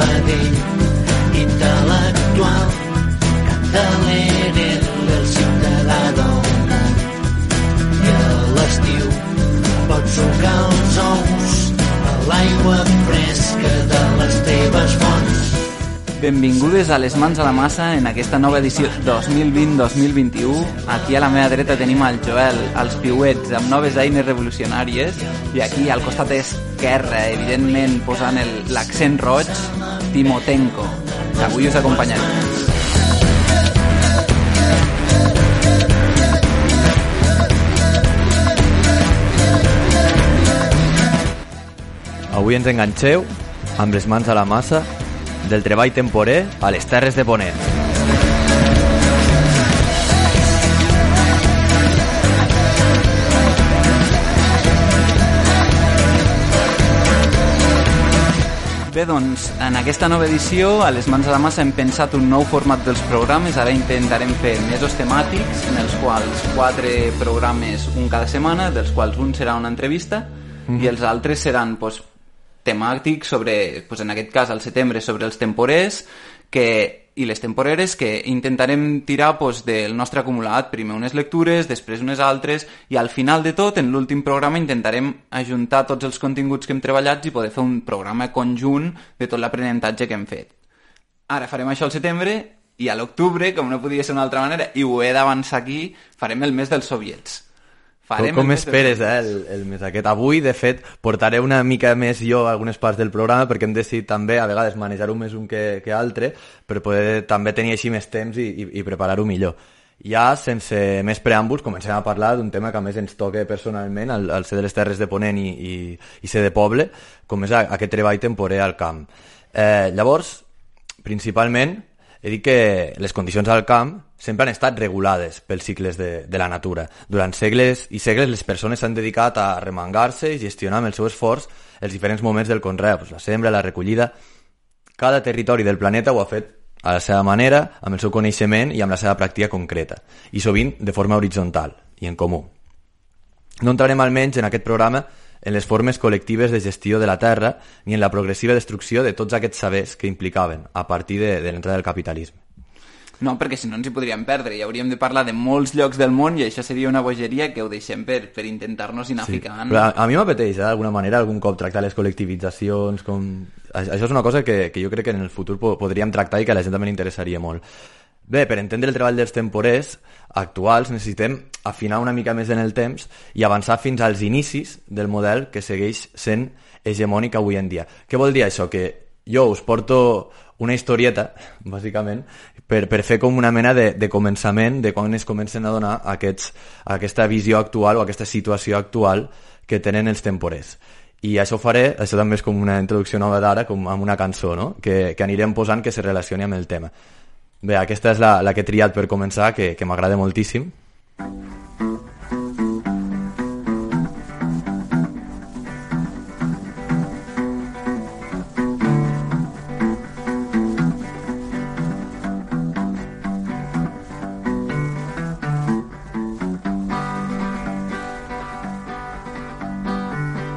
vedell, intel·lectual, candeler del ciutadà del món. I a l'estiu pots sucar els ous a l'aigua fresca de les teves fonts. Benvingudes a Les Mans a la Massa en aquesta nova edició 2020-2021. Aquí a la meva dreta tenim el Joel, els piuets, amb noves eines revolucionàries, i aquí al costat esquerre, evidentment posant l'accent roig, Timotenko, que avui us acompanyarà. Avui ens enganxeu amb les mans a la massa del treball temporer a les Terres de Ponent. Bé, doncs, en aquesta nova edició, a les mans a la massa, hem pensat un nou format dels programes. Ara intentarem fer mesos temàtics, en els quals 4 programes un cada setmana, dels quals un serà una entrevista, i els altres seran, temàtics sobre, en aquest cas al setembre, sobre els temporers i les temporeres, que intentarem tirar del nostre acumulat, primer unes lectures, després unes altres, i al final de tot, en l'últim programa, intentarem ajuntar tots els continguts que hem treballat i poder fer un programa conjunt de tot l'aprenentatge que hem fet. Ara farem això al setembre, i a l'octubre, com no podia ser d'una altra manera, i ho he d'avançar aquí, farem el mes dels soviets. Com esperes, el mes aquest? Avui, de fet, portaré una mica més jo a algunes parts del programa, perquè hem decidit també, a vegades, manejar-ho més un que altre, per poder també tenir així més temps i preparar-ho millor. Ja, sense més preàmbuls, comencem a parlar d'un tema que a més ens toca personalment, al ser de les Terres de Ponent i ser de poble, com és aquest treball temporer al camp. Llavors, principalment, he dit que les condicions al camp sempre han estat regulades pels cicles de la natura. Durant segles i segles les persones s'han dedicat a remangar-se i gestionar amb el seu esforç els diferents moments del conreu, la sembra, la recollida. Cada territori del planeta ho ha fet a la seva manera, amb el seu coneixement i amb la seva pràctica concreta, i sovint de forma horitzontal i en comú. No entrarem almenys en aquest programa en les formes col·lectives de gestió de la terra ni en la progressiva destrucció de tots aquests sabers que implicaven a partir de l'entrada del capitalisme. No, perquè si no ens hi podríem perdre i hauríem de parlar de molts llocs del món i això seria una bogeria que ho deixem per intentar-nos anar ficant. Però a mi m'apeteix, d'alguna manera, algun cop tractar les col·lectivitzacions com... Això és una cosa que jo crec que en el futur podríem tractar i que a la gent també li interessaria molt. Bé, per entendre el treball dels temporers actuals necessitem afinar una mica més en el temps i avançar fins als inicis del model que segueix sent hegemònic avui en dia. Què vol dir això? Que jo us porto una historieta, bàsicament, per fer com una mena de començament de quan es comencen a donar aquesta visió actual o aquesta situació actual que tenen els temporers. I això ho faré, això també és com una introducció nova d'ara, com amb una cançó, no? que anirem posant que se relacioni amb el tema. Bé, aquesta és la que he triat per començar, que m'agrada moltíssim.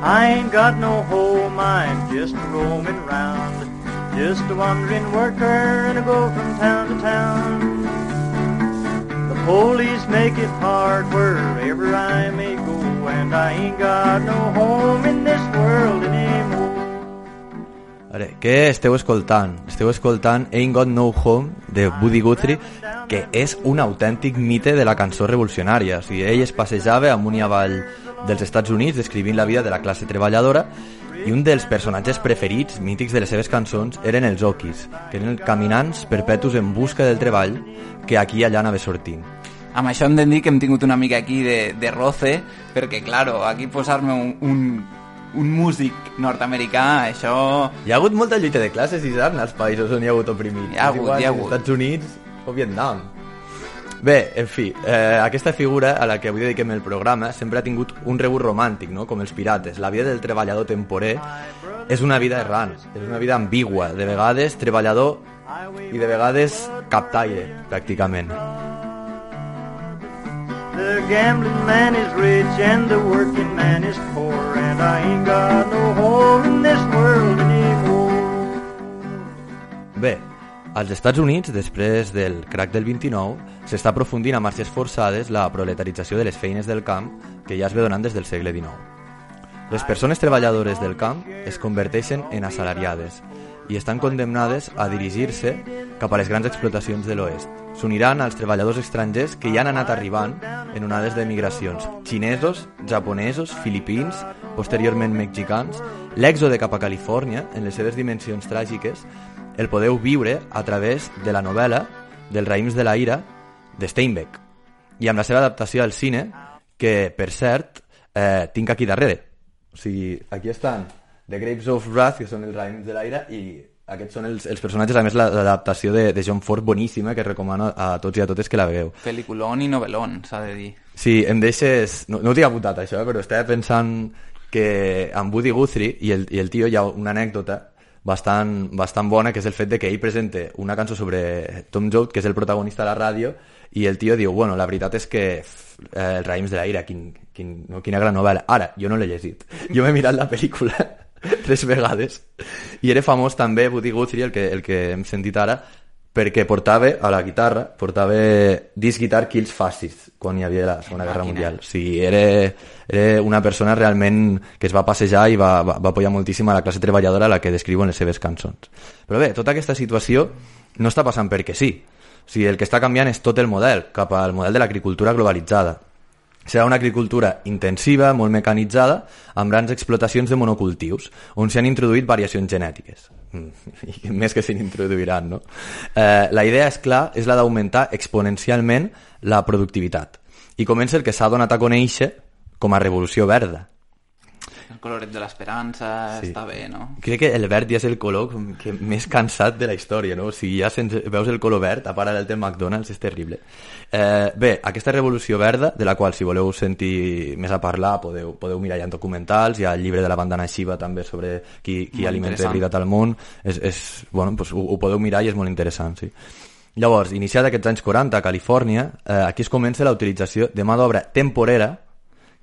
I ain't got no home, I'm just roaming round, just a wandering worker and I go from town to town. The police make it hard wherever I may go, and I ain't got no home in this world anymore. Ara, què esteu escoltant? Esteu escoltant Ain't Got No Home de Woody Guthrie, que és un autèntic mite de la cançó revolucionària. O sigui, ell es passejava amunt i avall dels Estats Units descrivint la vida de la classe treballadora, i un dels personatges preferits, mítics de les seves cançons, eren els Okies, que eren caminants perpetus en busca del treball que aquí i allà anava sortint. Amb això hem de dir que hem tingut una mica aquí de roce, perquè, claro, aquí posar-me un músic nord-americà, això... Hi ha hagut molta lluita de classes, Isaac, als països on hi ha hagut oprimits. Hi ha hagut. Als Estats Units o Vietnam. Bé, en fi, aquesta figura a la que avui dediquem el programa sempre ha tingut un rebut romàntic, no? Com els pirates. La vida del treballador temporer és una vida errant, és una vida ambigua, de vegades treballador i de vegades captaire, pràcticament. The gambling man is rich and the working man is poor, and I ain't got no home in this world anymore. Bé, als Estats Units, després del crack del 29, s'està aprofundint a marxes forçades la proletarització de les feines del camp que ja es ve donant des del segle XIX. Les persones treballadores del camp es converteixen en assalariades i estan condemnades a dirigir-se cap a les grans explotacions de l'oest. S'uniran als treballadors estrangers que ja han anat arribant en onades de migracions. Xinesos, japonesos, filipins, posteriorment mexicans. L'èxode cap a Califòrnia, en les seves dimensions tràgiques, el podeu viure a través de la novel·la dels raïms de la ira de Steinbeck i amb la seva adaptació al cine, que, per cert, tinc aquí darrere. O sigui, aquí estan The Grapes of Wrath, que són els raïms de la ira, i aquests són els personatges, a més l'adaptació de John Ford boníssima, que recomano a tots i a totes que la vegueu. Pel·liculón i novel·lón, s'ha de dir. Sí, em deixes... No ho tinc apuntat això, però estava pensant que amb Woody Guthrie i el tio hi ha una anècdota bastant bona, que és el fet de que ell presenta una cançó sobre Tom Joad, que és el protagonista de la ràdio, i el tio diu, bueno, la veritat és que els raïms de la ira, quina gran novel·la. Ara, jo no l'he llegit. Jo m'he mirat la pel·lícula 3 vegades i era famós també Woody Guthrie, el que hem sentit ara, perquè portava a la guitarra This Guitar Kills Fascists quan hi havia la Segona Guerra Mundial. O sigui, era una persona realment que es va passejar i va apoyar moltíssim a la classe treballadora a la que descriu en les seves cançons. Però bé, tota aquesta situació no està passant perquè sí. O sigui, el que està canviant és tot el model, cap al model de l'agricultura globalitzada. Serà una agricultura intensiva, molt mecanitzada, amb grans explotacions de monocultius, on s'han introduït variacions genètiques. I més que se n'introduiran, no? La idea, és clar, és la d'augmentar exponencialment la productivitat. I comença el que s'ha donat a conèixer com a revolució verda. El coloret de l'esperança, sí. Està bé, no? Crec que el verd ja és el color que més cansat de la història, no? O sigui, ja veus el color verd, a part del McDonald's, és terrible. Bé, aquesta revolució verda, de la qual, si voleu sentir més a parlar, podeu mirar ja en documentals, hi ha el llibre de la bandana Shiva també sobre qui alimenta la veritat al món, bueno, pues, ho podeu mirar i és molt interessant, sí. Llavors, iniciat aquests anys 40 a Califòrnia, aquí es comença la utilització de mà d'obra temporera.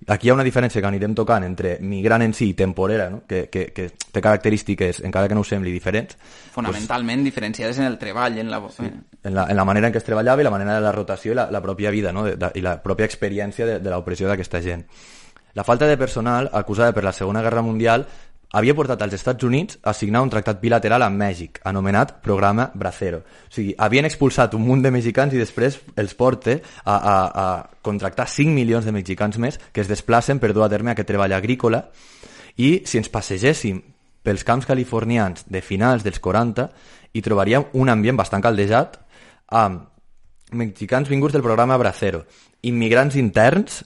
Aquí hi ha una diferència que anirem tocant entre migrant en si i temporera, no? que té característiques, encara que no ho sembli, diferents. Fonamentalment diferenciades en el treball, en la manera en què es treballava i la manera de la rotació i la pròpia vida, no? I la pròpia experiència de l'opressió d'aquesta gent. La falta de personal, acusada per la Segona Guerra Mundial, havia portat als Estats Units a signar un tractat bilateral amb Mèxic, anomenat Programa Bracero. O sigui, havien expulsat un munt de mexicans i després els porta a contractar 5 milions de mexicans més que es desplacen per dur a terme aquest treball agrícola. I si ens passegéssim pels camps californians de finals dels 40, hi trobaríem un ambient bastant caldejat amb mexicans vinguts del Programa Bracero, immigrants interns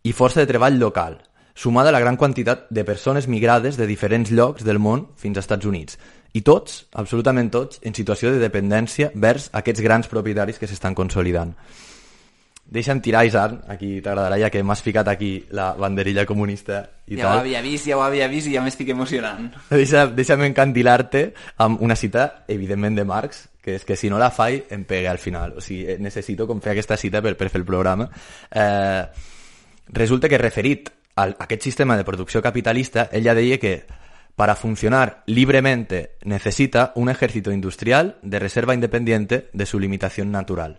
i força de treball local, sumada a la gran quantitat de persones migrades de diferents llocs del món fins als Estats Units. I tots, absolutament tots, en situació de dependència vers aquests grans propietaris que s'estan consolidant. Deixa'm tirar, Isaac, aquí t'agradarà, ja que m'has ficat aquí la banderilla comunista i ja tal. Ja ho havia vist i ja m'estic emocionant. Deixa'm encandilar-te amb una cita, evidentment, de Marx, que és que si no la faig em pega al final. O sigui, necessito com fer aquesta cita per fer el programa. Resulta que referit a aquest sistema de producció capitalista, ell ja deia que para funcionar libremente necesita un ejército industrial de reserva independiente de su limitación natural.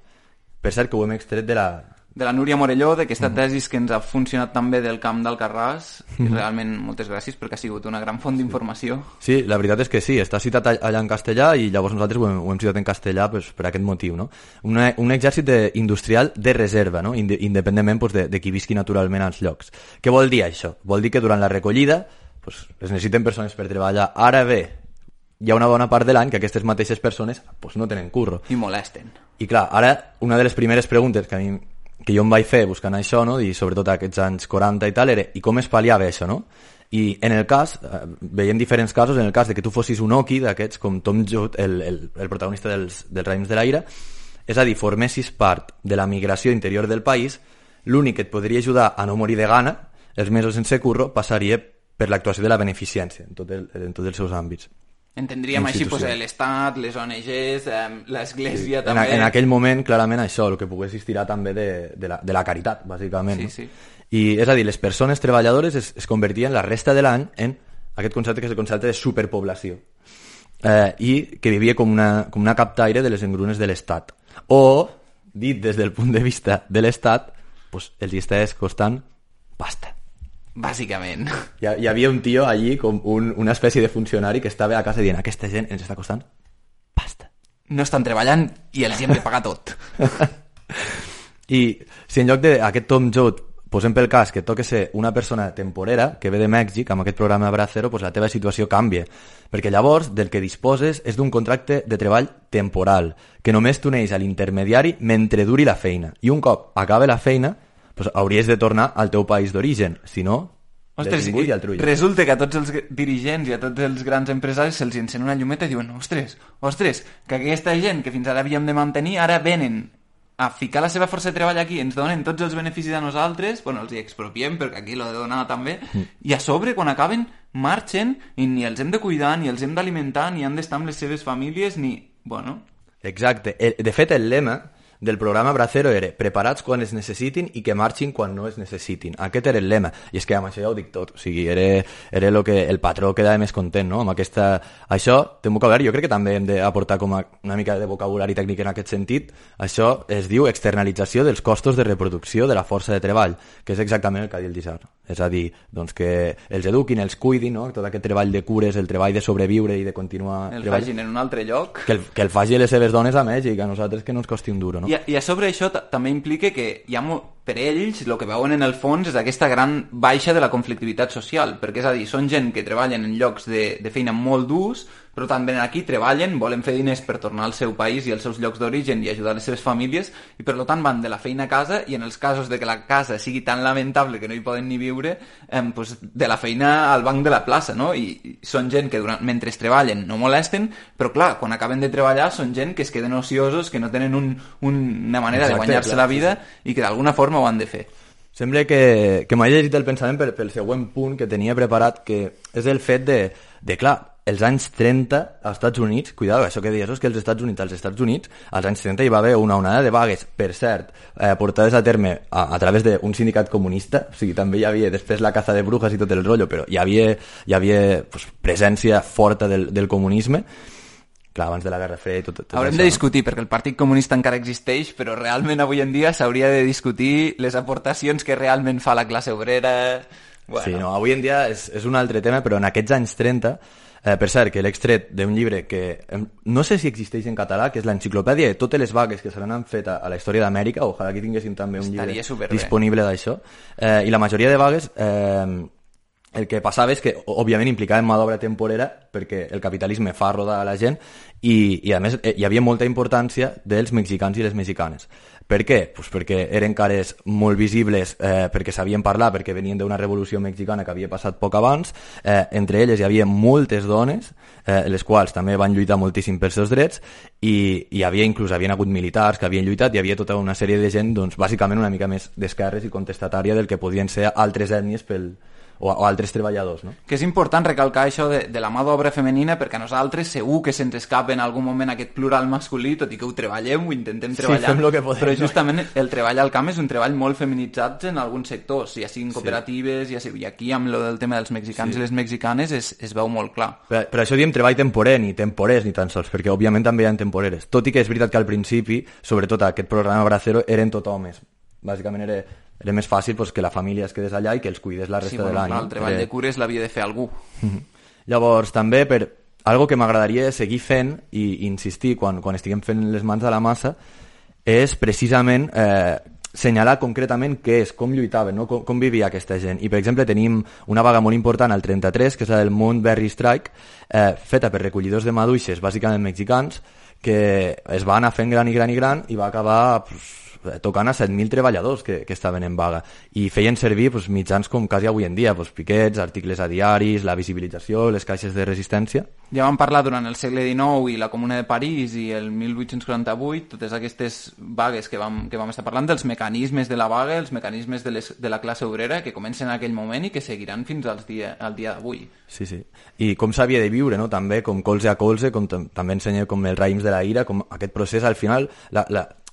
Per cert, que ho hem extret de la Núria Morelló, d'aquesta tesis que ens ha funcionat també del camp d'Alcarràs, i realment moltes gràcies perquè ha sigut una gran font d'informació. Sí, la veritat és que sí, està citat allà en castellà i llavors nosaltres ho hem citat en castellà pues, per aquest motiu, no? Un exèrcit industrial de reserva, no? Independentment pues, de qui visqui naturalment als llocs. Què vol dir això? Vol dir que durant la recollida pues, es necessiten persones per treballar. Ara bé, hi ha una bona part de l'any que aquestes mateixes persones pues, no tenen curro. I molesten. I clar, ara una de les primeres preguntes que jo em vaig fer buscant això, no? I sobretot aquests anys 40 i tal, era i com es pal·liava això, no? I en el cas, veiem diferents casos, en el cas de que tu fossis un oqui d'aquests, com Tom Joad, el protagonista dels raïms de la ira, és a dir, formessis part de la migració interior del país, l'únic que et podria ajudar a no morir de gana, els mesos sense curro, passaria per l'actuació de la beneficència en tots els seus àmbits. Entendríem així pues, l'Estat, les ONGs, l'Església també... En aquell moment, clarament, això, el que pogués estirar també de la caritat, bàsicament. Sí, no? Sí. I és a dir, les persones treballadores es convertien la resta de l'any en aquest concepte que és el concepte de superpoblació. i que vivia com una captaire de les engrunes de l'Estat. O, dit des del punt de vista de l'Estat, pues, els hi estàs costant pasta. Bàsicament. Hi havia un tio allí, com una espècie de funcionari que estava a casa dient aquesta gent ens està costant pasta. No estan treballant i els hi hem de pagar tot. I si en lloc d'aquest Tom Joad posem pel cas que toca ser una persona temporera que ve de Mèxic amb aquest programa Bracero, pues la teva situació canvia, perquè llavors del que disposes és d'un contracte de treball temporal, que només t'uneix a l'intermediari mentre duri la feina, i un cop acaba la feina pues hauries de tornar al teu país d'origen, si no, detingut i al trull. Resulta que a tots els dirigents i a tots els grans empresaris se'ls encén una llumeta i diuen ostres, que aquesta gent que fins ara havíem de mantenir ara venen a ficar la seva força de treball aquí, ens donen tots els beneficis a nosaltres, bueno, els hi expropiem perquè aquí l'ho de donar també, i a sobre quan acaben marxen i ni els hem de cuidar, ni els hem d'alimentar, ni han d'estar amb les seves famílies, ni... bueno... Exacte. De fet, el lema del programa Bracero era preparats quan es necessitin i que marxin quan no es necessitin. Aquest era el lema. I és que amb això ja ho dic tot. O sigui, era lo que el patró quedava més content, no? Amb aquesta... Això té un vocabulari. Jo crec que també hem d'aportar com una mica de vocabulari tècnic en aquest sentit. Això es diu externalització dels costos de reproducció de la força de treball, que és exactament el que ha dit el Dissar. És a dir, doncs que els eduquin, els cuidin, no? Tot aquest treball de cures, el treball de sobreviure i de continuar el facin en un altre lloc. Que el faci les seves dones a Mèxic, a nosaltres que no ens costi un duro, no? I a sobre això també implica que hi ha per ells el que veuen en el fons és aquesta gran baixa de la conflictivitat social, perquè és a dir, són gent que treballen en llocs de feina molt durs, però també aquí treballen, volen fer diners per tornar al seu país i als seus llocs d'origen i ajudar les seves famílies, i per tant van de la feina a casa, i en els casos de que la casa sigui tan lamentable que no hi poden ni viure, pues de la feina al banc de la plaça, no? I són gent que mentre treballen no molesten, però clar, quan acaben de treballar són gent que es queden ociosos, que no tenen una manera de guanyar-se la vida i que d'alguna forma ho han de fer. Sembla que m'ha llegit el pensament pel següent punt que tenia preparat, que és el fet de clar, els anys 30 als Estats Units, cuidado, això que dius, és que als Estats Units, als anys 30 hi va haver una onada de vagues, per cert, portades a terme a través d'un sindicat comunista, o sigui, també hi havia després la caza de brujas i tot el rotllo, però hi havia pues, presència forta del comunisme, clar, abans de la Guerra Freda i tot Haurem això, de discutir, perquè el Partit Comunista encara existeix, però realment avui en dia s'hauria de discutir les aportacions que realment fa la classe obrera... Bueno. Sí, no, avui en dia és un altre tema, però en aquests anys 30... per cert, que l'he extret d'un llibre que no sé si existeix en català, que és l'enciclopèdia de totes les vagues que se n'han fet a la història d'Amèrica. Ojalà que tinguéssim també un llibre disponible d'això. I la majoria de vagues el que passava és que òbviament implicaven mà d'obra temporera, perquè el capitalisme fa rodar a la gent, i a més hi havia molta importància dels mexicans i les mexicanes. Per què? Pues perquè eren cares molt visibles, perquè sabien parlar, perquè venien d'una revolució mexicana que havia passat poc abans. Entre elles hi havia moltes dones, les quals també van lluitar moltíssim pels seus drets, i hi havia havien hagut militars que havien lluitat, hi havia tota una sèrie de gent, doncs, bàsicament una mica més d'esquerres i contestatària del que podien ser altres ètnies o altres treballadors, no? Que és important recalcar això de la mà d'obra femenina, perquè a nosaltres segur que se'ns escapa en algun moment aquest plural masculí, tot i que ho treballem, ho intentem treballar, sí, fem lo que podem, però justament el treball al camp és un treball molt feminitzat en alguns sectors, ja siguin cooperatives, i aquí amb el tema dels mexicans i les mexicanes es veu molt clar. Per això diem treball temporer, ni temporers ni tan sols, perquè òbviament també hi ha temporeres, tot i que és veritat que al principi, sobretot aquest programa Bracero, eren tot homes, bàsicament era més fàcil pues, que la família es quedés allà i que els cuidés la resta de l'any. El treball de cures l'havia de fer algú. Llavors, també, algo que m'agradaria seguir fent i insistir quan estiguem fent les mans a la massa, és precisament senyalar concretament què és, com lluitaven, no? com vivia aquesta gent. I, per exemple, tenim una vaga molt important al 33, que és la del Moonberry Strike, feta per recollidors de maduixes, bàsicament mexicans, que es va anar fent gran i va acabar tocant a 7.000 treballadors que estaven en vaga, i feien servir mitjans com quasi avui en dia, piquets, articles a diaris, la visibilització, les caixes de resistència. Ja vam parlar durant el segle XIX i la Comuna de París i el 1848, totes aquestes vagues que vam estar parlant, dels mecanismes de la vaga, els mecanismes de la classe obrera que comencen en aquell moment i que seguiran fins al dia d'avui. Sí. I com s'havia de viure, no? També com colze a colze, com també ensenya com els raïms de la ira, com aquest procés al final,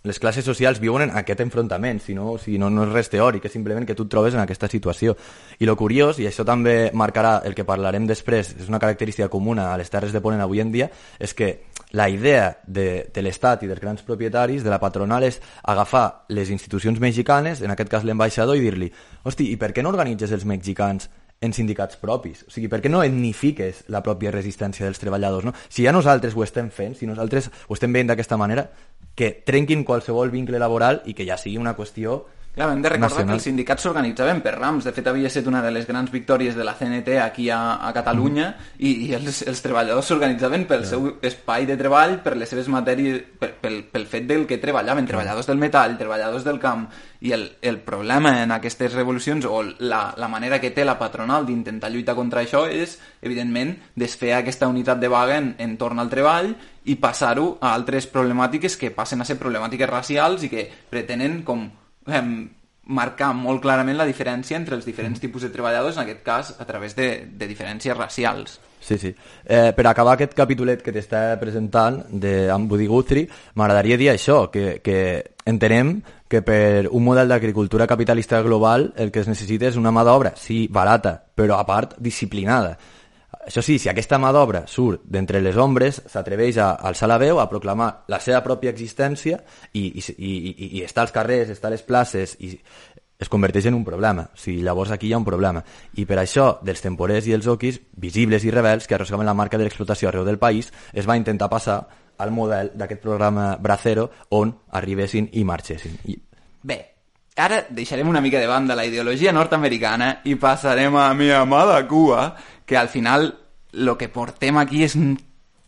les classes socials viuen en aquest enfrontament, si no és res teòric, és simplement que tu et trobes en aquesta situació. I lo curiós, i això també marcarà el que parlarem després, és una característica comuna a les terres de Ponent avui en dia, és que la idea de l'Estat i dels grans propietaris, de la patronal, és agafar les institucions mexicanes, en aquest cas l'ambaixador, i dir-li, hosti, i per què no organitzes els mexicans en sindicats propis? O sigui, per què no etnifiques la pròpia resistència dels treballadors, no? Si ja nosaltres ho estem fent, si nosaltres ho estem veient d'aquesta manera, que trenquin qualsevol vincle laboral i que ja sigui una qüestió Clar, hem de recordar nacional. que els sindicats s'organitzaven per rams. De fet, havia estat una de les grans victòries de la CNT aquí a Catalunya i els treballadors s'organitzaven pel seu espai de treball, per les seves matèries, pel fet del que treballaven, treballadors del metall, treballadors del camp. I el problema en aquestes revolucions, o la manera que té la patronal d'intentar lluitar contra això, és, evidentment, desfer aquesta unitat de vaga entorn al treball i passar-ho a altres problemàtiques que passen a ser problemàtiques racials i que pretenen com marcar molt clarament la diferència entre els diferents tipus de treballadors, en aquest cas a través de diferències racials. Sí. Per acabar aquest capítolet que t'està presentant amb Woody Guthrie, m'agradaria dir això, que entenem que per un model d'agricultura capitalista global el que es necessita és una mà d'obra, sí, barata, però a part disciplinada. Això sí, si aquesta mà d'obra surt d'entre les ombres, s'atreveix a alçar la veu, a proclamar la seva pròpia existència i està als carrers, està a les places i es converteix en un problema. O sigui, llavors aquí hi ha un problema. I per això, dels temporers i els oquis, visibles i rebels, que arrossegaven la marca de l'explotació arreu del país, es va intentar passar al model d'aquest programa Bracero on arribessin i marxessin. Bé, ara deixarem una mica de banda la ideologia nord-americana i passarem a mi amada Cuba, que al final lo que portem aquí és un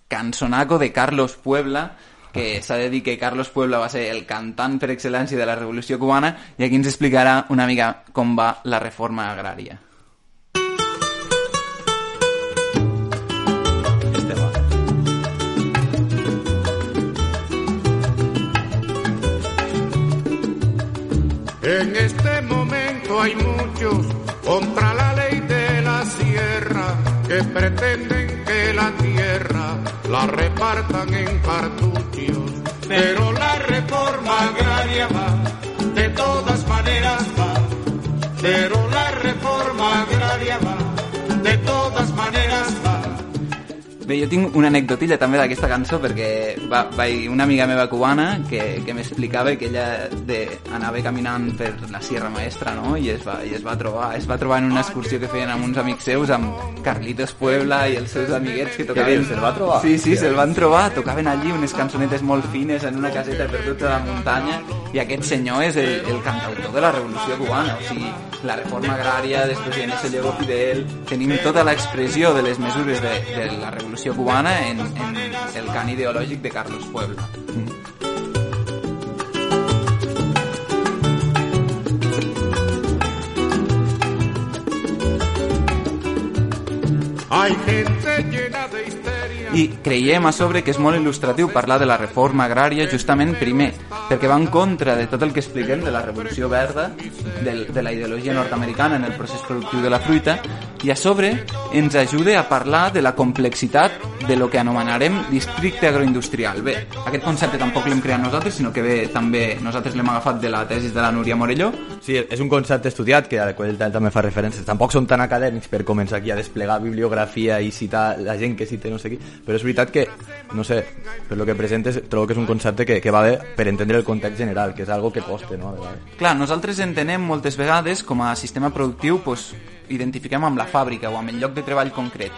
cançonaco de Carlos Puebla, que s'ha de dir que Carlos Puebla va ser el cantant per excel·lència de la Revolució Cubana, i aquí ens explicarà una mica com va la reforma agrària. En este momento hay muchos contra la ley de la sierra que pretenden que la tierra la repartan en cartuchos. Pero la reforma agraria va, de todas maneras va. Pero la reforma agraria va, de todas maneras va. Bé, jo tinc una anecdotilla també d'aquesta cançó, perquè una amiga meva cubana que m'explicava que ella anava caminant per la Sierra Maestra, no? I es va trobar en una excursió que feien amb uns amics seus, amb Carlitos Puebla i els seus amiguets que tocaven... Se'l va trobar? Sí, se'l van trobar, tocaven allí unes cançonetes molt fines en una caseta perduts a la muntanya, i aquest senyor és el cantautor de la Revolució Cubana. O sigui, la reforma agrària, després hi ha Diego Fidel, tenim tota l'expressió de les mesures de la Revolució Cubana en el cant ideològic de Carlos Puebla. Hay gente llena de histeria. I creiem a sobre que és molt il·lustratiu parlar de la reforma agrària justament primer, perquè va en contra de tot el que expliquem de la revolució verda, de la ideologia nord-americana en el procés productiu de la fruita, i a sobre ens ajuda a parlar de la complexitat de lo que anomenarem districte agroindustrial. Bé, aquest concepte tampoc l'hem creat nosaltres, sinó que també nosaltres l'hem agafat de la tesi de la Núria Morelló. Sí, és un concepte estudiat que al qual també fa referències. Tampoc són tan acadèmics per començar aquí a desplegar bibliografia i citar la gent que cita no sé qui, però és veritat que, no sé, per lo que presentes trobo que és un concepte que va bé per entendre el context general, que és algo que costa, no? Clar, nosaltres entenem moltes vegades com a sistema productiu, pues, identifiquem amb la fàbrica o amb el lloc de treball concret.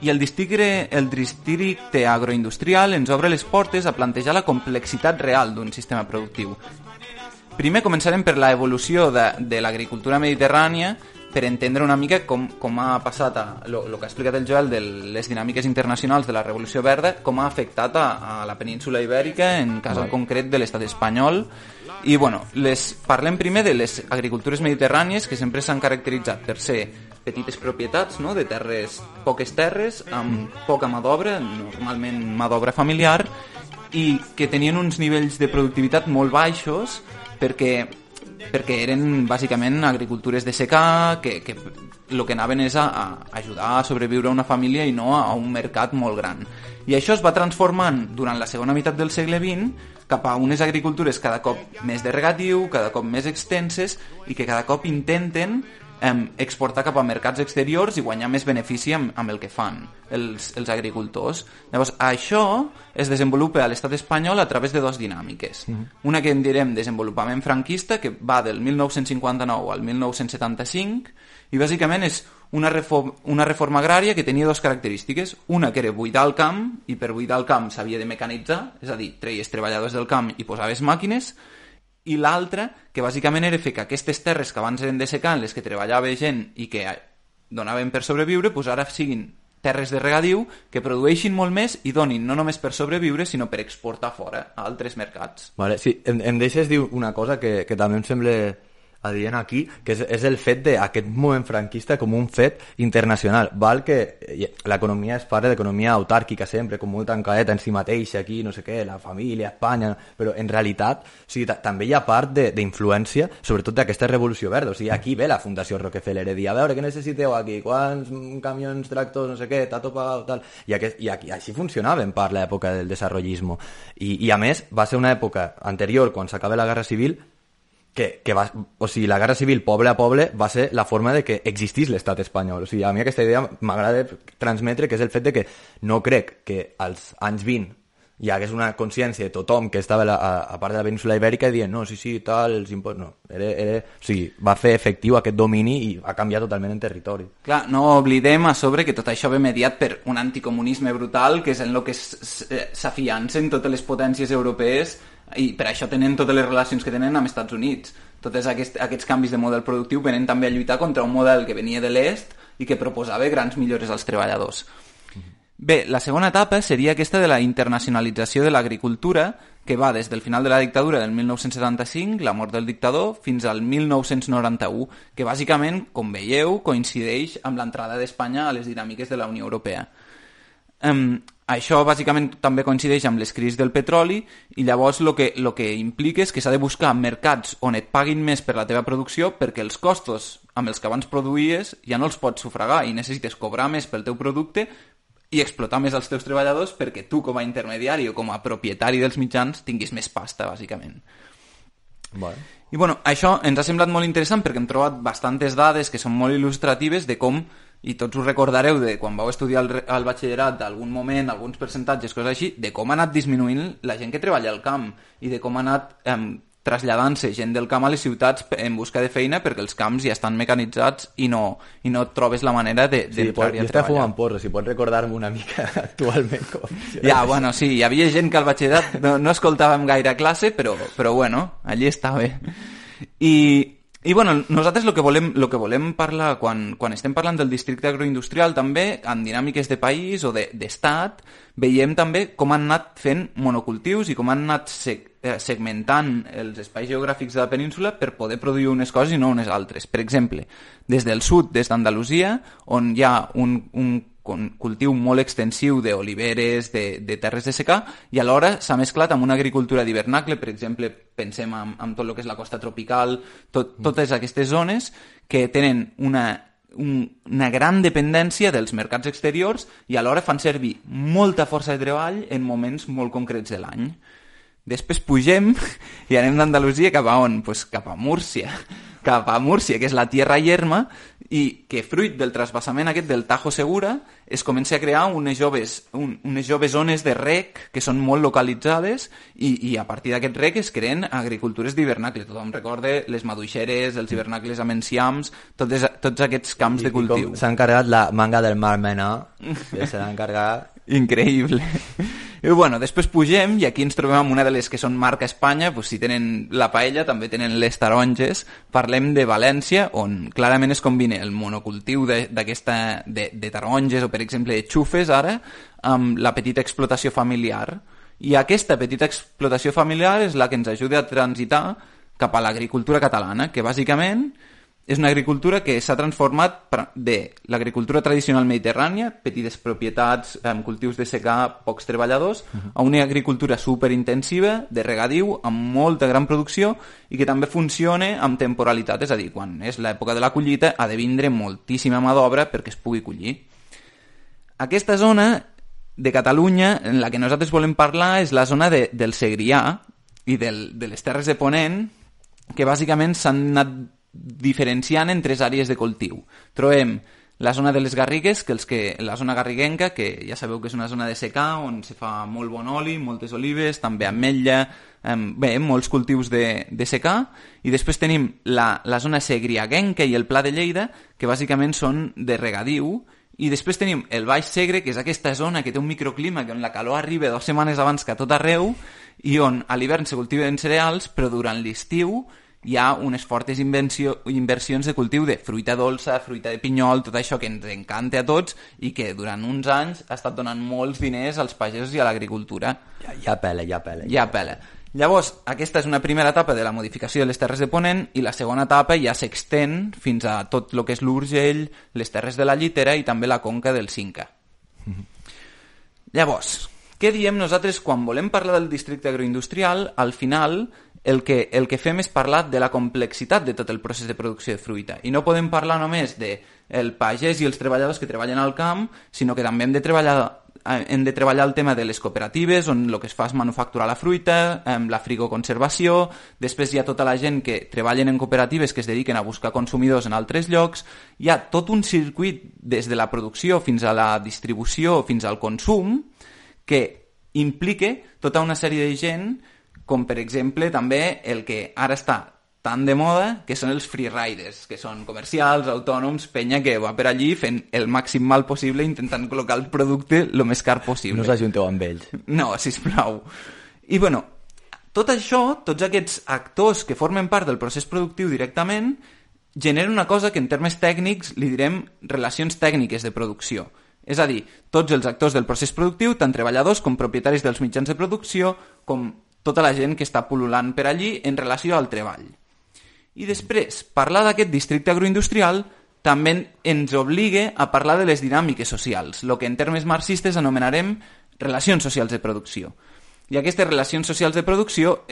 I el districte agroindustrial ens obre les portes a plantejar la complexitat real d'un sistema productiu. Primer començarem per la evolució de l'agricultura mediterrània, per entendre una mica com ha passat el que ha explicat el Joel de les dinàmiques internacionals de la Revolució Verda, com ha afectat a la península ibèrica, en cas concret de l'estat espanyol. I bueno, parlem primer de les agricultures mediterrànies, que sempre s'han caracteritzat per ser petites propietats, no?, de poques terres, amb poca mà d'obra, normalment mà d'obra familiar, i que tenien uns nivells de productivitat molt baixos perquè eren bàsicament agricultures de secà, que el que anaven és a ajudar a sobreviure a una família i no a un mercat molt gran. I això es va transformant durant la segona meitat del segle XX cap a unes agricultures cada cop més de regatiu, cada cop més extenses i que cada cop intenten exportar cap a mercats exteriors i guanyar més benefici amb el que fan els agricultors. Llavors, això es desenvolupa a l'estat espanyol a través de dues dinàmiques. Una que en direm desenvolupament franquista, que va del 1959 al 1975, i bàsicament és una reforma agrària que tenia dues característiques. Una que era buidar el camp, i per buidar el camp s'havia de mecanitzar, és a dir, treies treballadors del camp i posaves màquines, i l'altra, que bàsicament era fer que aquestes terres que abans eren de secà, en les que treballava gent i que donaven per sobreviure, doncs ara siguin terres de regadiu que produeixin molt més i donin no només per sobreviure, sinó per exportar fora a altres mercats. Vale, sí, em deixes dir una cosa que també em sembla adient aquí, que és el fet d'aquest moviment franquista com un fet internacional. Val que l'economia es parla d'economia autàrquica sempre, com molt tancadeta en si mateixa, aquí, no sé què, la família, Espanya, però en realitat també hi ha part d'influència, sobretot d'aquesta revolució verda. O sigui, aquí ve la Fundació Rockefeller a dir, a veure, què necessiteu aquí? Quants camions, tractors, no sé què, t'ha topat, tal... I així funcionava en part l'època del desarrollismo. I a més, va ser una època anterior, quan s'acaba la Guerra Civil, que va, o sigui, la guerra civil poble a poble va ser la forma de que existís l'estat espanyol. O sigui, a mi aquesta idea m'agrada transmetre, que és el fet de que no crec que als anys 20 hi hagués una consciència de tothom que estava a part de la península ibèrica dient, no, sí, tal, els impostos... No, o sigui, va fer efectiu aquest domini i va canviar totalment en territori. Clar, no oblidem a sobre que tot això ve mediat per un anticomunisme brutal, que és en el que s'afiancen totes les potències europees i per això tenen totes les relacions que tenen amb Estats Units. Tots aquests canvis de model productiu venen també a lluitar contra un model que venia de l'est i que proposava grans millores als treballadors. Bé, la segona etapa seria aquesta de la internacionalització de l'agricultura, que va des del final de la dictadura del 1975, la mort del dictador, fins al 1991, que bàsicament, com veieu, coincideix amb l'entrada d'Espanya a les dinàmiques de la Unió Europea. Això bàsicament també coincideix amb les crisis del petroli i llavors el que implica és que s'ha de buscar mercats on et paguin més per la teva producció perquè els costos amb els que abans produïes ja no els pots sufragar i necessites cobrar més pel teu producte i explotar més els teus treballadors perquè tu com a intermediari o com a propietari dels mitjans tinguis més pasta, bàsicament. Bueno. I bueno, això ens ha semblat molt interessant perquè hem trobat bastantes dades que són molt il·lustratives de com, i tots us recordareu de quan vau estudiar el batxillerat d'algun moment, alguns percentatges, coses així, de com ha anat disminuint la gent que treballa al camp i de com ha anat traslladant-se gent del camp a les ciutats en busca de feina perquè els camps ja estan mecanitzats i no trobes la manera d'entrar-hi a treballar. Jo estava fumant porro, si pots recordar-me una mica actualment com funciona. Ja, bueno, sí, hi havia gent que al batxillerat no escoltàvem gaire classe, però bueno, allí està bé. I bueno, nosaltres el que volem parlar quan estem parlant del districte agroindustrial també, en dinàmiques de país o d'estat, veiem també com han anat fent monocultius i com han anat segmentant els espais geogràfics de la península per poder produir unes coses i no unes altres. Per exemple, des del sud, des d'Andalusia, on hi ha un cultiu molt extensiu d'oliveres, de terres de secà, i alhora s'ha mesclat amb una agricultura d'hivernacle, per exemple, pensem en tot el que és la costa tropical, totes aquestes zones que tenen una gran dependència dels mercats exteriors i alhora fan servir molta força de treball en moments molt concrets de l'any. Després pugem i anem d'Andalusia cap a on? Pues cap a Múrcia, que és la tierra yerma, i que fruit del trasbassament aquest del Tajo Segura es comença a crear unes joves zones de rec que són molt localitzades i a partir d'aquest rec es creen agricultures d'hivernacle. Tothom recorda les maduixeres, els hivernacles amb enciams, tots aquests camps de cultiu. Com s'ha encarregat la manga del Mar Menor, que se l'ha encarregat... Increïble. I bueno, després pugem i aquí ens trobem amb una de les que són marca Espanya, doncs si tenen la paella també tenen les taronges. Parlem de València, on clarament es combina el monocultiu de taronges o per exemple de xufes ara amb la petita explotació familiar. I aquesta petita explotació familiar és la que ens ajuda a transitar cap a l'agricultura catalana, que bàsicament és una agricultura que s'ha transformat de l'agricultura tradicional mediterrània, petites propietats, cultius de secà, pocs treballadors, a una agricultura superintensiva, de regadiu, amb molta gran producció i que també funciona amb temporalitat, és a dir, quan és l'època de la collita ha de vindre moltíssima mà d'obra perquè es pugui collir. Aquesta zona de Catalunya en la que nosaltres volem parlar és la zona del Segrià i de les Terres de Ponent, que bàsicament s'han anat diferenciant en 3 àrees de cultiu. Trobem la zona de les Garrigues, la zona garriguenca, que ja sabeu que és una zona de secà, on se fa molt bon oli, moltes olives, també ametlla, molts cultius de secà, i després tenim la zona segriaguenca i el Pla de Lleida, que bàsicament són de regadiu, i després tenim el Baix Segre, que és aquesta zona que té un microclima, que on la calor arriba 2 setmanes abans que a tot arreu, i on a l'hivern se cultiven cereals, però durant l'estiu hi ha unes fortes inversions de cultiu de fruita dolça, fruita de pinyol, tot això que ens encanta a tots i que durant uns anys ha estat donant molts diners als pagesos i a l'agricultura. Ja pela. Llavors, aquesta és una primera etapa de la modificació de les Terres de Ponent i la segona etapa ja s'extén fins a tot el que és l'Urgell, les Terres de la Llitera i també la conca del Cinca. Llavors, què diem nosaltres quan volem parlar del districte agroindustrial? Al final, el que fem és parlar de la complexitat de tot el procés de producció de fruita. I no podem parlar només del pagès i els treballadors que treballen al camp, sinó que també hem de treballar el tema de les cooperatives, on el que es fa és manufacturar la fruita, la frigoconservació, després hi ha tota la gent que treballen en cooperatives que es dediquen a buscar consumidors en altres llocs, hi ha tot un circuit des de la producció fins a la distribució, fins al consum, que implica tota una sèrie de gent, com per exemple també el que ara està tan de moda, que són els freeriders, que són comercials, autònoms, penya que va per allí fent el màxim mal possible intentant col·locar el producte el més car possible. No us ajunteu amb ells. No, sisplau. I bueno, tot això, tots aquests actors que formen part del procés productiu directament, generen una cosa que en termes tècnics li direm relacions tècniques de producció. És a dir, tots els actors del procés productiu, tant treballadors com propietaris dels mitjans de producció, com tota la gent que està pul·lulant per allí en relació al treball. I després, parlar d'aquest districte agroindustrial també ens obliga a parlar de les dinàmiques socials, el que en termes marxistes anomenarem relacions socials de producció. I aquestes relacions socials de producció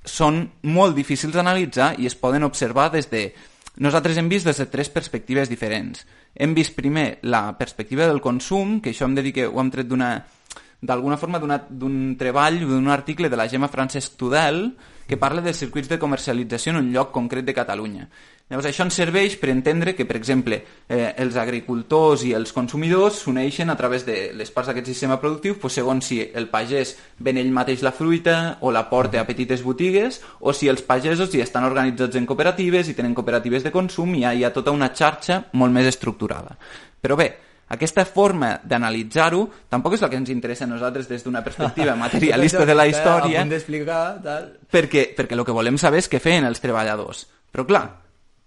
són molt difícils d'analitzar i es poden observar des de... Nosaltres hem vist des de 3 perspectives diferents. Hem vist primer la perspectiva del consum, que això hem de dir que ho hem tret d'alguna forma d'un treball, d'un article de la Gemma Francesc Tudel, que parla dels circuits de comercialització en un lloc concret de Catalunya. Llavors, això ens serveix per entendre que, per exemple, els agricultors i els consumidors s'uneixen a través de les parts d'aquest sistema productiu, segons si el pagès ven ell mateix la fruita o la porta a petites botigues, o si els pagesos ja estan organitzats en cooperatives i tenen cooperatives de consum i hi ha tota una xarxa molt més estructurada. Però bé, aquesta forma d'analitzar-ho tampoc és la que ens interessa a nosaltres des d'una perspectiva materialista de la història, perquè el que volem saber és què feien els treballadors. Però clar,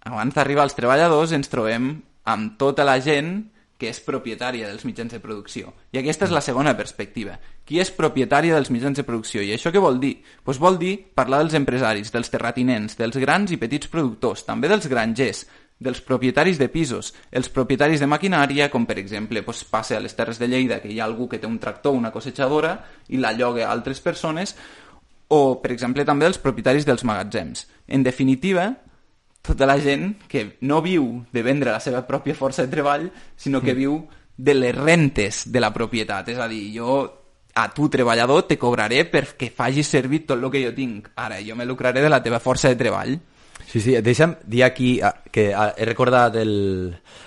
abans d'arribar als treballadors ens trobem amb tota la gent que és propietària dels mitjans de producció. I aquesta és la segona perspectiva. Qui és propietària dels mitjans de producció? I això què vol dir? Doncs vol dir parlar dels empresaris, dels terratinents, dels grans i petits productors, també dels grangers, dels propietaris de pisos, els propietaris de maquinària, com per exemple passa a les Terres de Lleida, que hi ha algú que té un tractor, una cosechadora, i la lloga a altres persones, o per exemple també els propietaris dels magatzems. En definitiva, tota la gent que no viu de vendre la seva pròpia força de treball, sinó que viu de les rentes de la propietat. És a dir, jo a tu, treballador, te cobraré perquè facis servir tot el que jo tinc. Ara, jo me lucraré de la teva força de treball. Sí, deixa'm dir aquí que he recordat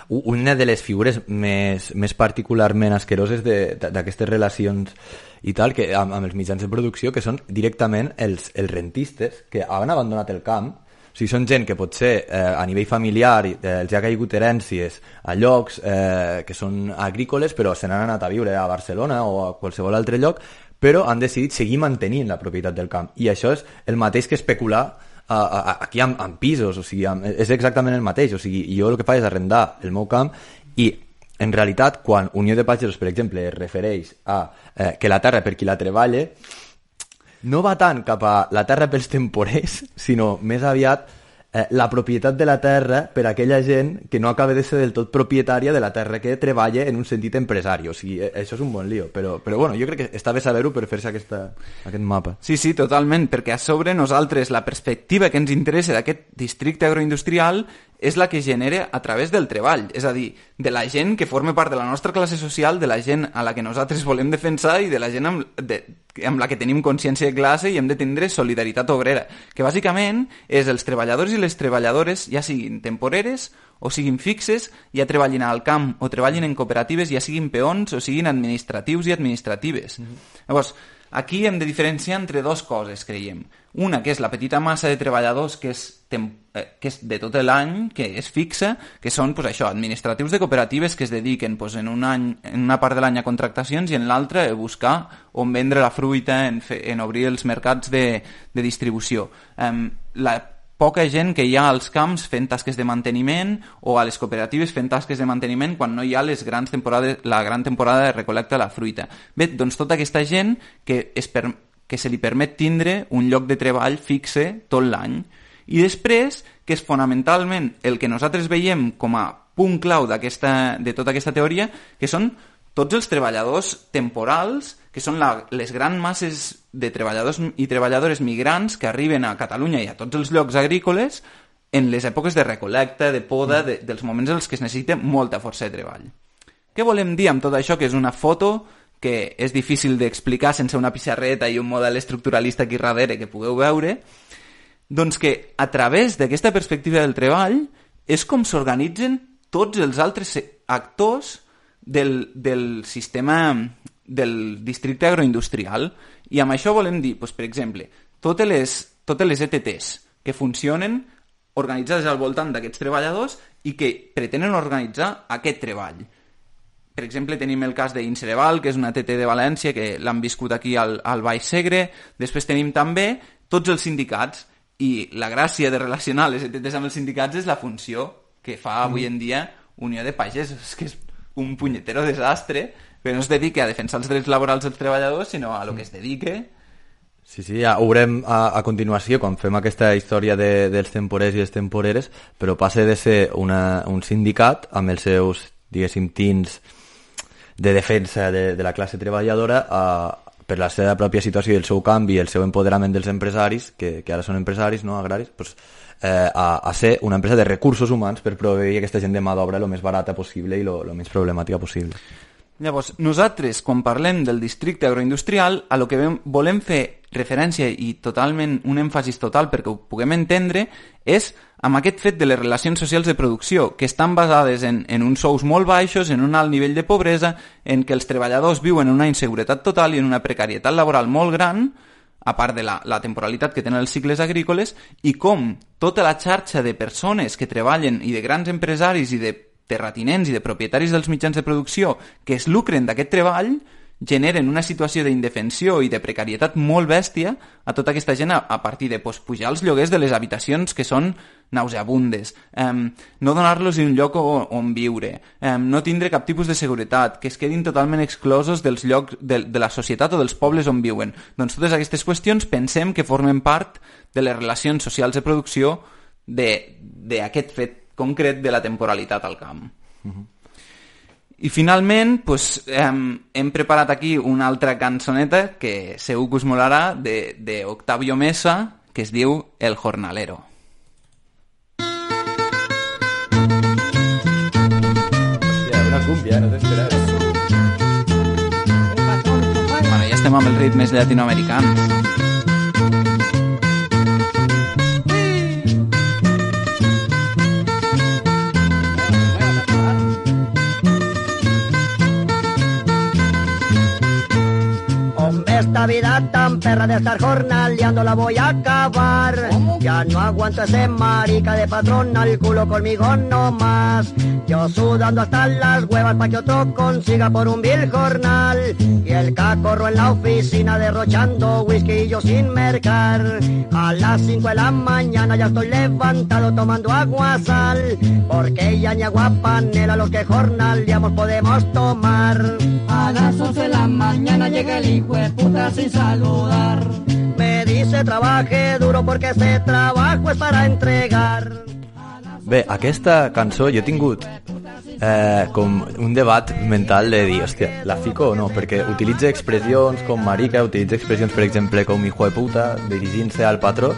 una de les figures més particularment asqueroses d'aquestes relacions i tal, que amb els mitjans de producció, que són directament els rentistes que han abandonat el camp. O sigui, són gent que potser a nivell familiar els ha caigut herències a llocs que són agrícoles, però se n'han anat a viure a Barcelona o a qualsevol altre lloc, però han decidit seguir mantenint la propietat del camp. I això és el mateix que especular aquí amb pisos, o sigui, és exactament el mateix. O sigui, jo el que faig és arrendar el meu camp i, en realitat, quan Unió de Pagesos, per exemple, es refereix a que la terra per qui la treballa, no va tant cap a la terra pels temporers, sinó més aviat la propietat de la terra per a aquella gent que no acaba de ser del tot propietària de la terra que treballa en un sentit empresari. O sigui, això és un bon lío, però bueno, jo crec que està bé saber-ho per fer-se aquest mapa. Sí, totalment, perquè a sobre nosaltres la perspectiva que ens interessa d'aquest districte agroindustrial és la que genera a través del treball, és a dir, de la gent que forma part de la nostra classe social, de la gent a la que nosaltres volem defensar i de la gent amb la que tenim consciència de classe i hem de tindre solidaritat obrera, que bàsicament és els treballadors i les treballadores, ja siguin temporeres o siguin fixes, ja treballin al camp o treballin en cooperatives, ja siguin peons o siguin administratius i administratives. Llavors, aquí hem de diferenciar entre dues coses, creiem. Una, que és la petita massa de treballadors que és de tot l'any, que és fixa, que són administratius de cooperatives que es dediquen en una part de l'any a contractacions i en l'altra a buscar on vendre la fruita, en obrir els mercats de distribució. La poca gent que hi ha als camps fent tasques de manteniment o a les cooperatives fent tasques de manteniment quan no hi ha la gran temporada de recol·lecta de la fruita. Bé, doncs tota aquesta gent que se li permet tindre un lloc de treball fixe tot l'any. I després, que és fonamentalment el que nosaltres veiem com a punt clau de tota aquesta teoria, que són tots els treballadors temporals, que són les grans masses de treballadors i treballadores migrants que arriben a Catalunya i a tots els llocs agrícoles en les èpoques de recol·lecta, de poda, dels moments en els que es necessita molta força de treball. Què volem dir amb tot això? Que és una foto que és difícil d'explicar sense una pissarreta i un model estructuralista aquí darrere que pugueu veure, doncs que a través d'aquesta perspectiva del treball és com s'organitzen tots els altres actors del sistema del districte agroindustrial. I amb això volem dir, per exemple, totes les ETTs que funcionen organitzades al voltant d'aquests treballadors i que pretenen organitzar aquest treball. Per exemple, tenim el cas d'Incereval, que és una ETT de València, que l'han viscut aquí al Baix Segre. Després tenim també tots els sindicats. I la gràcia de relacionar les ETTs amb els sindicats és la funció que fa avui en dia Unió de Pagesos, que és un punyetero desastre, que no es dedica a defensar els drets laborals dels treballadors, sinó a lo que es dedique. Sí, ja ho veurem a continuació, quan fem aquesta història dels temporers i les temporeres, però passa de ser un sindicat amb els seus, diguéssim, tints de defensa de la classe treballadora per la seva pròpia situació i el seu canvi i el seu empoderament dels empresaris, que ara són empresaris, no agraris, a ser una empresa de recursos humans per proveir aquesta gent de mà d'obra el més barata possible i el menys problemàtica possible. Llavors, nosaltres, quan parlem del districte agroindustrial, a lo que volem fer referència i totalment un èmfasis total perquè ho puguem entendre és amb aquest fet de les relacions socials de producció, que estan basades en uns sous molt baixos, en un alt nivell de pobresa, en què els treballadors viuen en una inseguretat total i en una precarietat laboral molt gran, a part de la temporalitat que tenen els cicles agrícoles, i com tota la xarxa de persones que treballen i de grans empresaris i de terratinents i de propietaris dels mitjans de producció que es lucren d'aquest treball generen una situació d'indefensió i de precarietat molt bèstia a tota aquesta gent a partir de pujar els lloguers de les habitacions que són nauseabundes, no donar-los un lloc on viure, no tindre cap tipus de seguretat, que es quedin totalment exclosos dels llocs de la societat o dels pobles on viuen. Doncs totes aquestes qüestions pensem que formen part de les relacions socials de producció d'aquest fet concret de la temporalitat al camp. I finalment hem preparat aquí una altra cançoneta que segur que us molarà de Octavio Mesa, que es diu El Jornalero. Hòstia, una cumbia, no t'esperaves. Bueno, ja estem amb els ritmes llatinoamericans. Esta vida tan perra de estar jornaleando la voy a acabar. Ya no aguanto ese marica de patrón al culo conmigo no más. Yo sudando hasta las huevas pa' que otro consiga por un vil jornal. Y el cacorro en la oficina derrochando whisky y yo sin mercar. A las 5 de la mañana ya estoy levantado tomando agua sal. Porque ya ni agua panela los que jornaleamos podemos tomar. A las 11 de la mañana llega el hijo de puta sin saludar. Me dice trabaje duro porque ese trabajo es para entregar. Bé, aquesta cançó jo he tingut com un debat mental de dir, hòstia, la fico o no? Perquè utilitza expressions com marica, utilitza expressions, per exemple, com hijo de puta, dirigint-se al patró,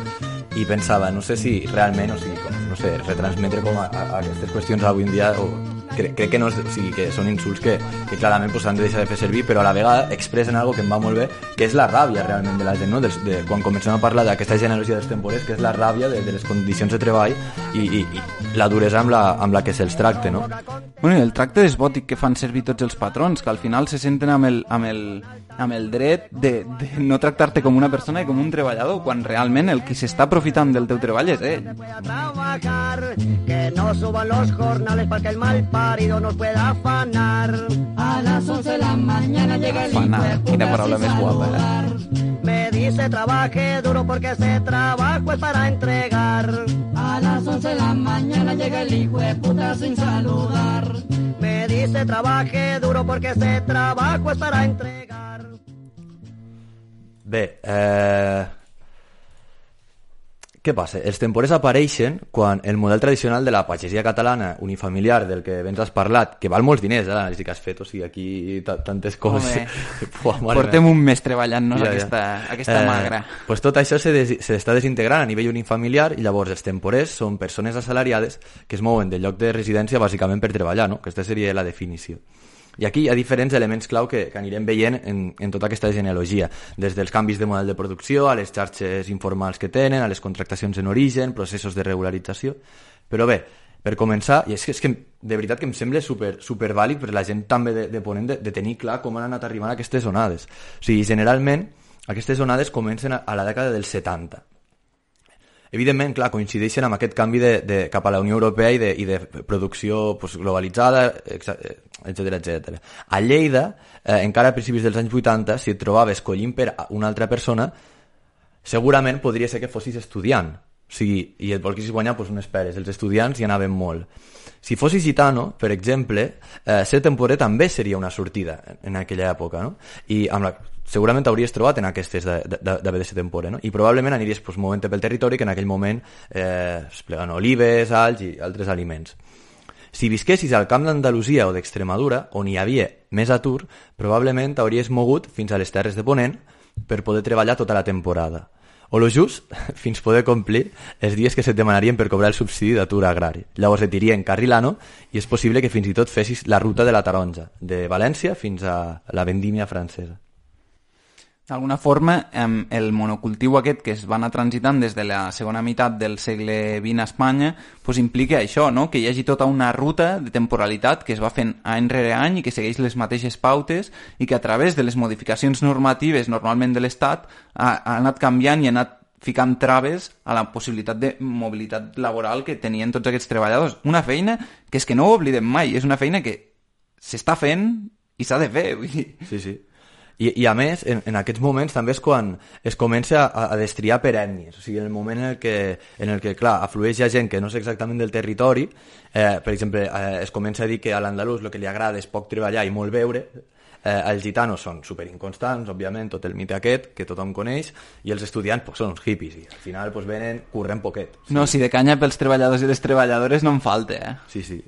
i pensava, no sé si realment, o sigui, com, no sé, retransmetre com a aquestes qüestions avui en dia, o crec que no, o sigui, que són insults que clarament s'han de deixar de fer servir, però a la vegada expressen algo que em va molt bé, que és la ràbia realment de la gent, no? De quan comencem a parlar d'aquesta generositat dels temporers, que és la ràbia de les condicions de treball i la duresa amb la que se'ls tracta, no? Bueno, i el tracte desbòtic que fan servir tots els patrons, que al final se senten amb el dret de no tractar-te com una persona i com un treballador, quan realment el qui s'està aprofitant del teu treball és ell. Voy a trabajar, que no suban los jornales para que el mal parido nos pueda afanar. A las 11 de la mañana llega el Afanar, quina paraula més guapa, Me dice trabaje duro porque ese trabajo es para entregar. A las 11 de la mañana llega el hijo de puta sin saludar. Me dice trabaje duro porque ese trabajo es para entregar. Bé, què passa? Els temporers apareixen quan el model tradicional de la pagesia catalana unifamiliar, del que abans has parlat, que val molts diners, l'anàlisi que has fet, o sigui, aquí tantes coses... Portem un mes treballant-nos aquesta magra. Pues tot això s'està desintegrant a nivell unifamiliar, i llavors els temporers són persones assalariades que es mouen del lloc de residència bàsicament per treballar, no? Aquesta seria la definició. I aquí hi ha diferents elements clau que anirem veient en tota aquesta genealogia, des dels canvis de model de producció, a les xarxes informals que tenen, a les contractacions en origen, processos de regularització. Però bé, per començar, i és que de veritat que em sembla super vàlid per la gent també de Ponent de tenir clar com han anat arribant aquestes onades. O sigui, generalment, aquestes onades comencen a la dècada dels 70. Evidentment, clar, coincideixen amb aquest canvi cap a la Unió Europea i de producció globalitzada, etc. A Lleida, encara a principis dels anys 80, si et trobaves collint per una altra persona, segurament podria ser que fossis estudiant. O sigui, i et volguessis guanyar unes peres. Els estudiants hi anaven molt. Si fossis gitano, per exemple, ser temporer també seria una sortida en aquella època, no? I segurament t'hauries trobat en aquestes d'haver de ser temporer, no? I probablement aniries movent-te pel territori que en aquell moment plegant olives, alls i altres aliments. Si visquessis al camp d'Andalusia o d'Extremadura, on hi havia més atur, probablement t'hauries mogut fins a les terres de Ponent per poder treballar tota la temporada. O lo just fins poder complir els dies que se't demanarien per cobrar el subsidi d'atur agrari. Llavors et dirien carrilano i és possible que fins i tot fessis la ruta de la taronja, de València fins a la vendímia francesa. D'alguna forma, el monocultiu aquest que es va anar transitant des de la segona meitat del segle XX a Espanya implica això, no? Que hi hagi tota una ruta de temporalitat que es va fent any rere any i que segueix les mateixes pautes i que a través de les modificacions normatives normalment de l'Estat ha anat canviant i ha anat ficant traves a la possibilitat de mobilitat laboral que tenien tots aquests treballadors. Una feina que és que no ho oblidem mai, és una feina que s'està fent i s'ha de fer. Vull dir. Sí. I a més, en aquests moments també és quan es comença a destriar per ètnies. O sigui, en el moment en el que clar, aflueix gent que no és exactament del territori, per exemple, es comença a dir que a l'andalús el que li agrada és poc treballar i molt beure, els gitanos són superinconstants, òbviament, tot el mite aquest, que tothom coneix, i els estudiants són uns hippies, i al final venen corrent poquet. Sí. No, si de canya pels treballadors i les treballadores no en falta, Sí.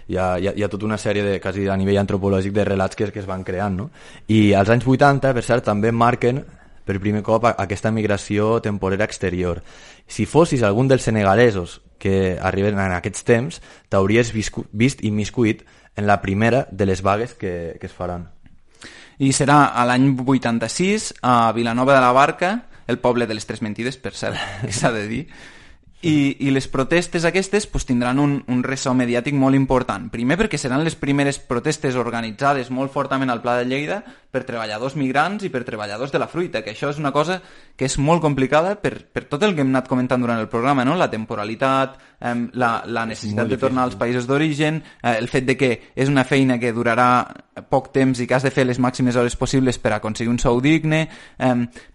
Hi ha tota una sèrie quasi a nivell antropològic de relats que es van creant, no? I als anys 80, per cert, també marquen per primer cop aquesta migració temporera exterior. Si fossis algun dels senegalesos que arriben en aquests temps, t'hauries vist immiscuit en la primera de les vagues que es faran. I serà a l'any 86 a Vilanova de la Barca, el poble de les Tres Mentides, per cert, que s'ha de dir. I les protestes aquestes tindran un ressò mediàtic molt important. Primer perquè seran les primeres protestes organitzades molt fortament al Pla de Lleida per treballadors migrants i per treballadors de la fruita, que això és una cosa que és molt complicada per tot el que hem anat comentant durant el programa, no? La temporalitat, la necessitat de tornar als països d'origen, el fet de que és una feina que durarà poc temps i que has de fer les màximes hores possibles per aconseguir un sou digne,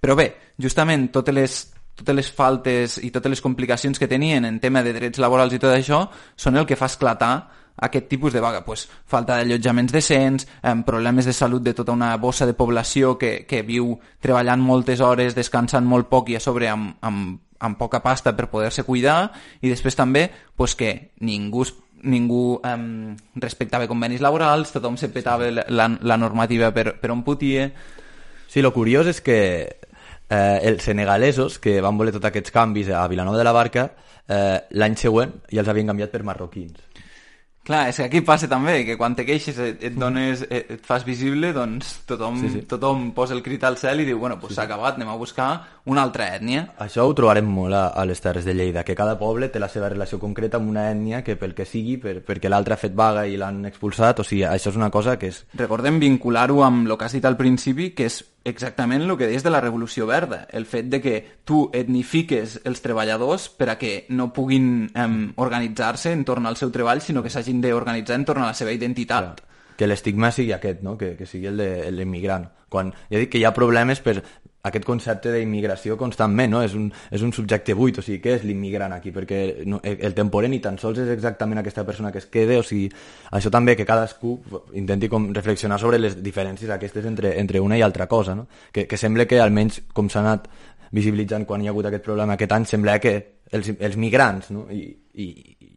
però bé, justament totes les faltes i totes les complicacions que tenien en tema de drets laborals i tot això són el que fa esclatar aquest tipus de vaga? Pues, falta d'allotjaments decents, problemes de salut de tota una bossa de població que viu treballant moltes hores, descansant molt poc i a sobre amb poca pasta per poder-se cuidar, i després també pues, que ningú respectava convenis laborals, tothom se petava la normativa per on podia. Sí, lo curiós és que els senegalesos que van voler tots aquests canvis a Vilanova de la Barca l'any següent ja els havien canviat per marroquins. Clar, és que aquí passa també, que quan te queixes et fas visible, doncs tothom posa el crit al cel i diu, bueno, pues s'ha acabat, anem a buscar una altra ètnia. Això ho trobarem molt a les Terres de Lleida, que cada poble té la seva relació concreta amb una ètnia que pel que sigui, perquè l'altre ha fet vaga i l'han expulsat, o sigui, això és una cosa que és... Recordem vincular-ho amb el que has dit al principi, que és exactament el que deies de la Revolució Verda, el fet de que tu etnifiques els treballadors per a que no puguin organitzar-se entorn al seu treball, sinó que s'hagin d'organitzar entorn a la seva identitat. Clar, que l'estigma sigui aquest, no? Que sigui el de l'immigrant. Quan ja dic que hi ha problemes per aquest concepte d'immigració constantment, no? És un subjecte buit, o sigui, què és l'immigrant aquí? Perquè el temporer ni tan sols és exactament aquesta persona que es queda, o sigui, això també que cadascú intenti com reflexionar sobre les diferències aquestes entre una i altra cosa, no? Que sembla que almenys com s'ha anat visibilitzant quan hi ha hagut aquest problema aquest any, sembla que els migrants, no? I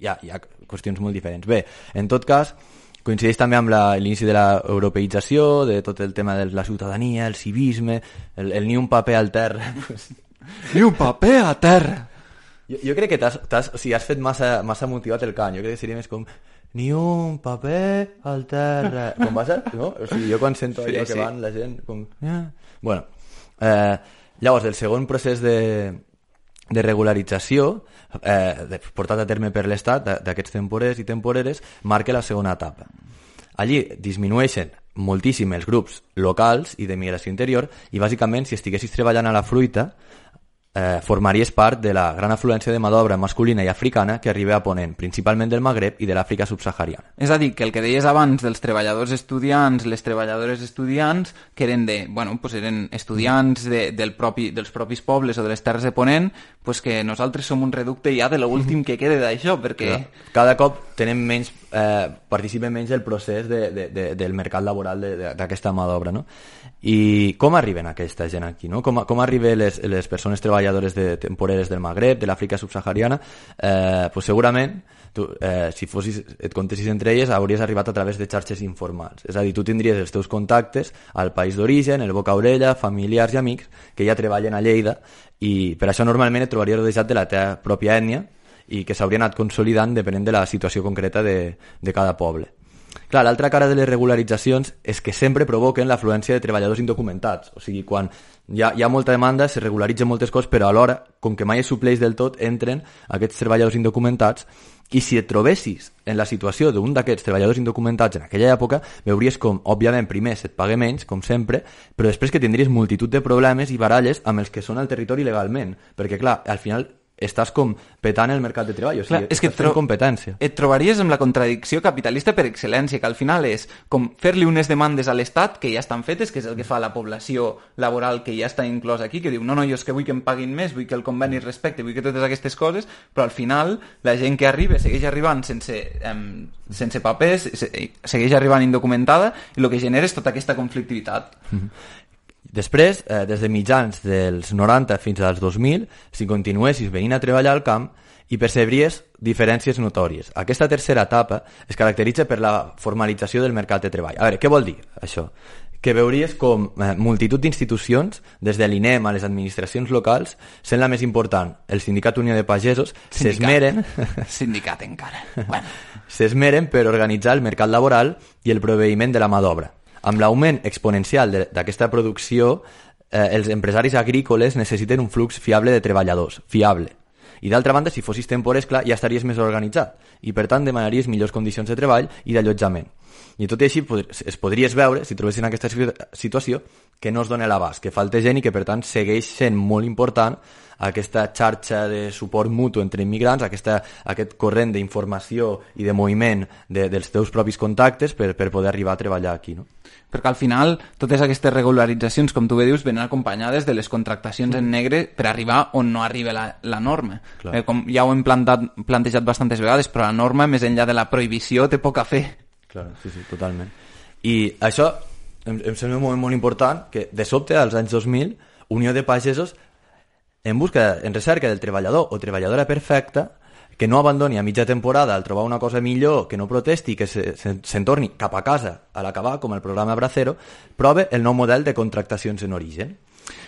hi ha qüestions molt diferents. Bé, en tot cas, coincideix també amb l'inici de l'europeïtzació, de tot el tema de la ciutadania, el civisme, el ni un paper al terra. Ni un paper a terra! Jo crec que o sigui, has fet massa motivat el cant. Jo crec que seria més com ni un paper al terra. Com va ser? No? O sigui, jo quan sento allò que van la gent... Com... Bueno, llavors, el segon procés de regularització portat a terme per l'Estat d'aquests temporers i temporeres marca la segona etapa. Allí disminueixen moltíssim els grups locals i de migració interior i bàsicament si estiguessis treballant a la fruita formaries part de la gran afluència de mà d'obra masculina i africana que arriba a Ponent, principalment del Magreb i de l'Àfrica subsahariana. És a dir, que el que deies abans dels treballadors estudiants, les treballadores estudiants, que eren eren estudiants dels propis pobles o de les terres de Ponent, pues que nosaltres som un reducte ja de l'últim que queda d'això, perquè... Cada cop tenem menys, participem menys del procés del mercat laboral d'aquesta mà d'obra, no? I com arriben aquesta gent aquí, no? Com arriben les persones treballadores temporeres del Magreb, de l'Àfrica subsahariana? Pues segurament, tu, si et contessis entre elles, hauries arribat a través de xarxes informals. És a dir, tu tindries els teus contactes al país d'origen, el boca-orella, familiars i amics que ja treballen a Lleida i per això normalment et trobaries rodejat de la teva pròpia ètnia i que s'hauria anat consolidant depenent de la situació concreta de cada poble. Clar, l'altra cara de les regularitzacions és que sempre provoquen l'afluència de treballadors indocumentats. O sigui, quan hi ha molta demanda, se regularitzen moltes coses, però alhora, com que mai es supleix del tot, entren aquests treballadors indocumentats i si et trobessis en la situació d'un d'aquests treballadors indocumentats en aquella època, veuries com, òbviament, primer se't paga menys, com sempre, però després que tindries multitud de problemes i baralles amb els que són al territori legalment. Perquè, clar, al final estàs com petant el mercat de treball, o sigui, és que estàs fent competència. Et trobaries amb la contradicció capitalista per excel·lència, que al final és com fer-li unes demandes a l'Estat que ja estan fetes, que és el que fa la població laboral que ja està inclòs aquí, que diu, no, jo és que vull que em paguin més, vull que el conveni es respecte, vull que totes aquestes coses, però al final la gent que arriba segueix arribant sense papers, segueix arribant indocumentada, i el que genera és tota aquesta conflictivitat. Després, des de mitjans dels 90 fins als 2000, si continuessis venint a treballar al camp, hi percebries diferències notòries. Aquesta tercera etapa es caracteritza per la formalització del mercat de treball. A veure, què vol dir això? Que veuries com multitud d'institucions, des de l'INEM a les administracions locals, sent la més important, el Sindicat Unió de Pagesos, s'esmeren... Sindicat encara. Bueno. S'esmeren per organitzar el mercat laboral i el proveïment de la mà d'obra. Amb l'augment exponencial d'aquesta producció, els empresaris agrícoles necessiten un flux fiable de treballadors, fiable. I d'altra banda, si fossis temporers, clar, ja estaries més organitzat i per tant demanaries millors condicions de treball i d'allotjament. I tot i així es podries veure, si trobessin aquesta situació, que no es dona l'abast, que falta gent i que per tant segueix sent molt important aquesta xarxa de suport mutu entre immigrants, aquest corrent d'informació i de moviment dels teus propis contactes per poder arribar a treballar aquí, no? Perquè al final totes aquestes regularitzacions, com tu bé dius, venen acompanyades de les contractacions en negre per arribar on no arriba la norma. Com ja ho hem plantejat bastantes vegades, però la norma, més enllà de la prohibició, té poc a fer. Clar, sí, totalment. I això em sembla un moment molt important, que de sobte, als anys 2000, Unió de Pagesos, en recerca del treballador o treballadora perfecta, que no abandoni a mitja temporada al trobar una cosa millor, que no protesti, que se'n torni cap a casa a l'acabar, com el programa Bracero, prova el nou model de contractacions en origen,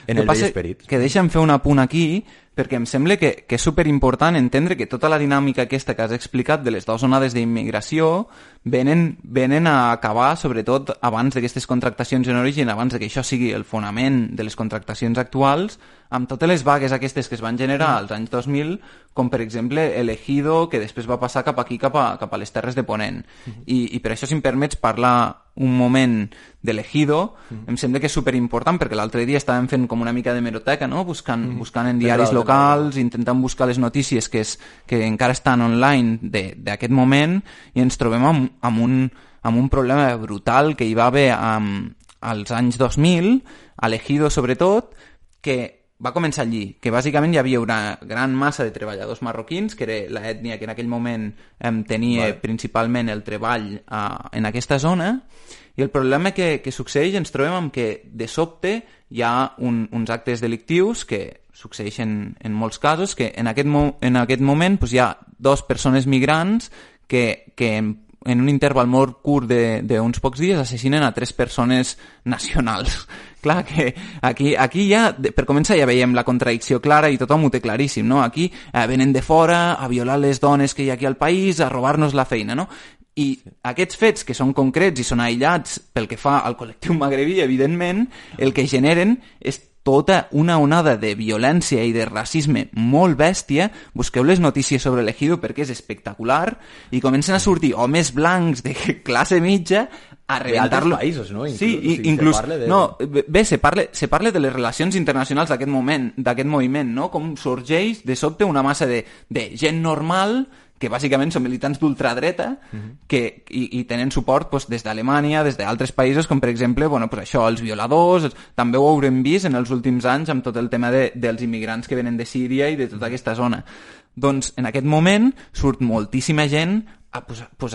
en el vell esperit. Que deixa'm fer un apunt aquí, perquè em sembla que és superimportant entendre que tota la dinàmica aquesta que has explicat de les dues onades d'immigració venen a acabar, sobretot abans d'aquestes contractacions en origen, abans que això sigui el fonament de les contractacions actuals, amb totes les vagues aquestes que es van generar als anys 2000, com per exemple l'Ejido, que després va passar cap aquí, cap a les Terres de Ponent. I per això, si em permets parlar un moment de l'Ejido, em sembla que és superimportant, perquè l'altre dia estàvem fent com una mica de hemeroteca, no? buscant en diaris locals, intentant buscar les notícies que encara estan online d'aquest moment, i ens trobem amb un problema brutal que hi va haver als anys 2000, a l'Ejido sobretot, que va començar allí, que bàsicament hi havia una gran massa de treballadors marroquins, que era l'ètnia que en aquell moment tenia principalment el treball en aquesta zona, i el problema que succeeix, ens trobem amb que de sobte hi ha uns actes delictius que succeeixen en molts casos, que en aquest moment hi ha 2 persones migrants que en un interval molt curt d'uns pocs dies assassinen a 3 persones nacionals. Clar que aquí ja, per començar, ja veiem la contradicció clara i tothom ho té claríssim, no? Aquí venen de fora a violar les dones que hi ha aquí al país, a robar-nos la feina, no? I aquests fets, que són concrets i són aïllats pel que fa al col·lectiu magrebí, evidentment, el que generen és tota una onada de violència i de racisme molt bèstia. Busqueu les notícies sobre l'Ejido perquè és espectacular, i comencen a sortir homes blancs de classe mitja a rebentar-lo. D'altres països, no? Sí, inclús... Se parla de les relacions internacionals d'aquest moviment, no? Com sorgeix de sobte una massa de gent normal que bàsicament són militants d'ultradreta i tenen suport des d'Alemanya, des d'altres països, com per exemple els violadors. També ho haurem vist en els últims anys amb tot el tema dels immigrants que venen de Síria i de tota aquesta zona. Doncs en aquest moment surt moltíssima gent a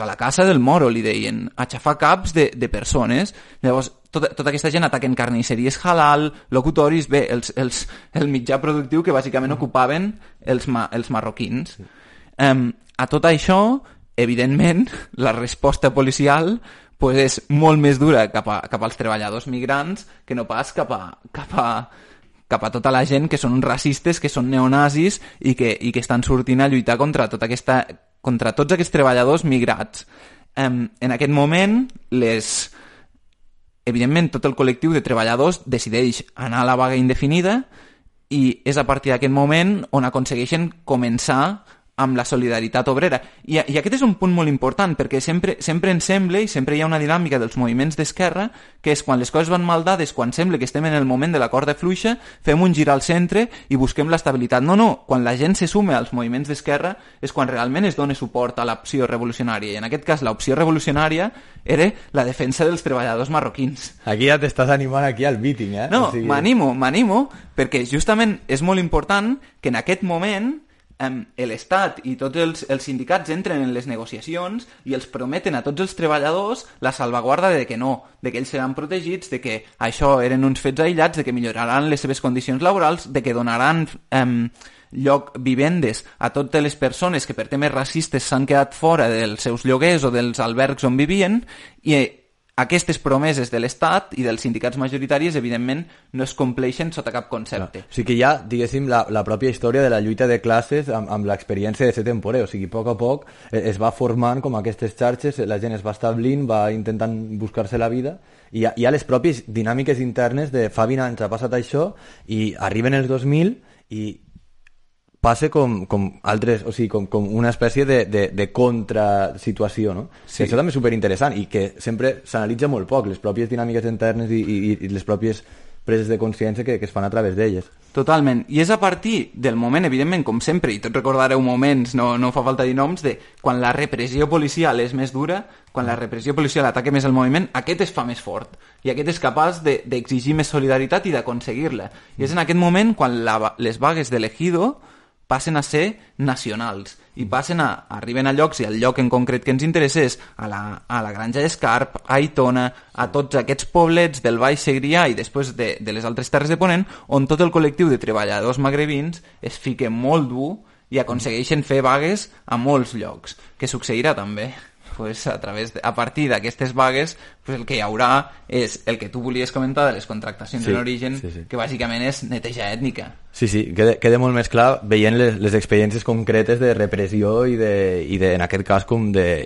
la casa del moro, li deien, a xafar caps de persones. Llavors, tota aquesta gent ataquen carnisseries halal, locutoris, el mitjà productiu que bàsicament ocupaven els marroquins. A tot això, evidentment, la resposta policial és molt més dura cap als treballadors migrants que no pas cap a tota la gent que són racistes, que són neonazis i que estan sortint a lluitar contra tots aquests treballadors migrats. En aquest moment, evidentment, tot el col·lectiu de treballadors decideix anar a la vaga indefinida, i és a partir d'aquest moment on aconsegueixen començar amb la solidaritat obrera. I aquest és un punt molt important, perquè sempre ens sembla, i sempre hi ha una dinàmica dels moviments d'esquerra, que és quan les coses van mal dades, quan sembla que estem en el moment de la corda fluixa, fem un gir al centre i busquem l'estabilitat. No, quan la gent se suma als moviments d'esquerra és quan realment es dona suport a l'opció revolucionària, i en aquest cas l'opció revolucionària era la defensa dels treballadors marroquins. Aquí ja t'estàs animant aquí al meeting, eh? No, m'animo, perquè justament és molt important que en aquest moment l'Estat i tots els sindicats entren en les negociacions i els prometen a tots els treballadors la salvaguarda de que no, de que ells seran protegits, de que això eren uns fets aïllats, de que milloraran les seves condicions laborals, de que donaran vivendes a totes les persones que per temes racistes s'han quedat fora dels seus lloguers o dels albergs on vivien. I aquestes promeses de l'Estat i dels sindicats majoritaris, evidentment, no es compleixen sota cap concepte. O sigui que ja, diguéssim, la pròpia història de la lluita de classes amb l'experiència de ser temporer, o sigui, a poc es va formant com aquestes xarxes, la gent es va establint, va intentant buscar-se la vida, i hi ha les pròpies dinàmiques internes de fa 20 anys ha passat això, i arriben els 2000, i passa com altres, o sigui, com una espècie de contrasituació, no? Sí. Això també és superinteressant i que sempre s'analitza molt poc, les pròpies dinàmiques internes i les pròpies preses de consciència que es fan a través d'elles. Totalment, i és a partir del moment, evidentment, com sempre, i tots recordareu moments, no fa falta dir noms, de quan la repressió policial és més dura, quan la repressió policial ataca més el moviment, aquest es fa més fort, i aquest és capaç d'exigir més solidaritat i d'aconseguir-la. I és en aquest moment quan les vagues de l'Ejido passen a ser nacionals i arriben a llocs, i el lloc en concret que ens interessa és a la Granja d'Escarp, a Aitona, a tots aquests poblets del Baix Segrià i després de les altres terres de Ponent, on tot el col·lectiu de treballadors magrebins es fica molt dur i aconsegueixen fer vagues a molts llocs. Què succeirà també? Pues a partir d'aquestes vagues, pues el que hi haurà és el que tu volies comentar de les contractacions en origen, que bàsicament és neteja ètnica. Sí, queda molt més clar veient les experiències concretes de repressió i en aquest cas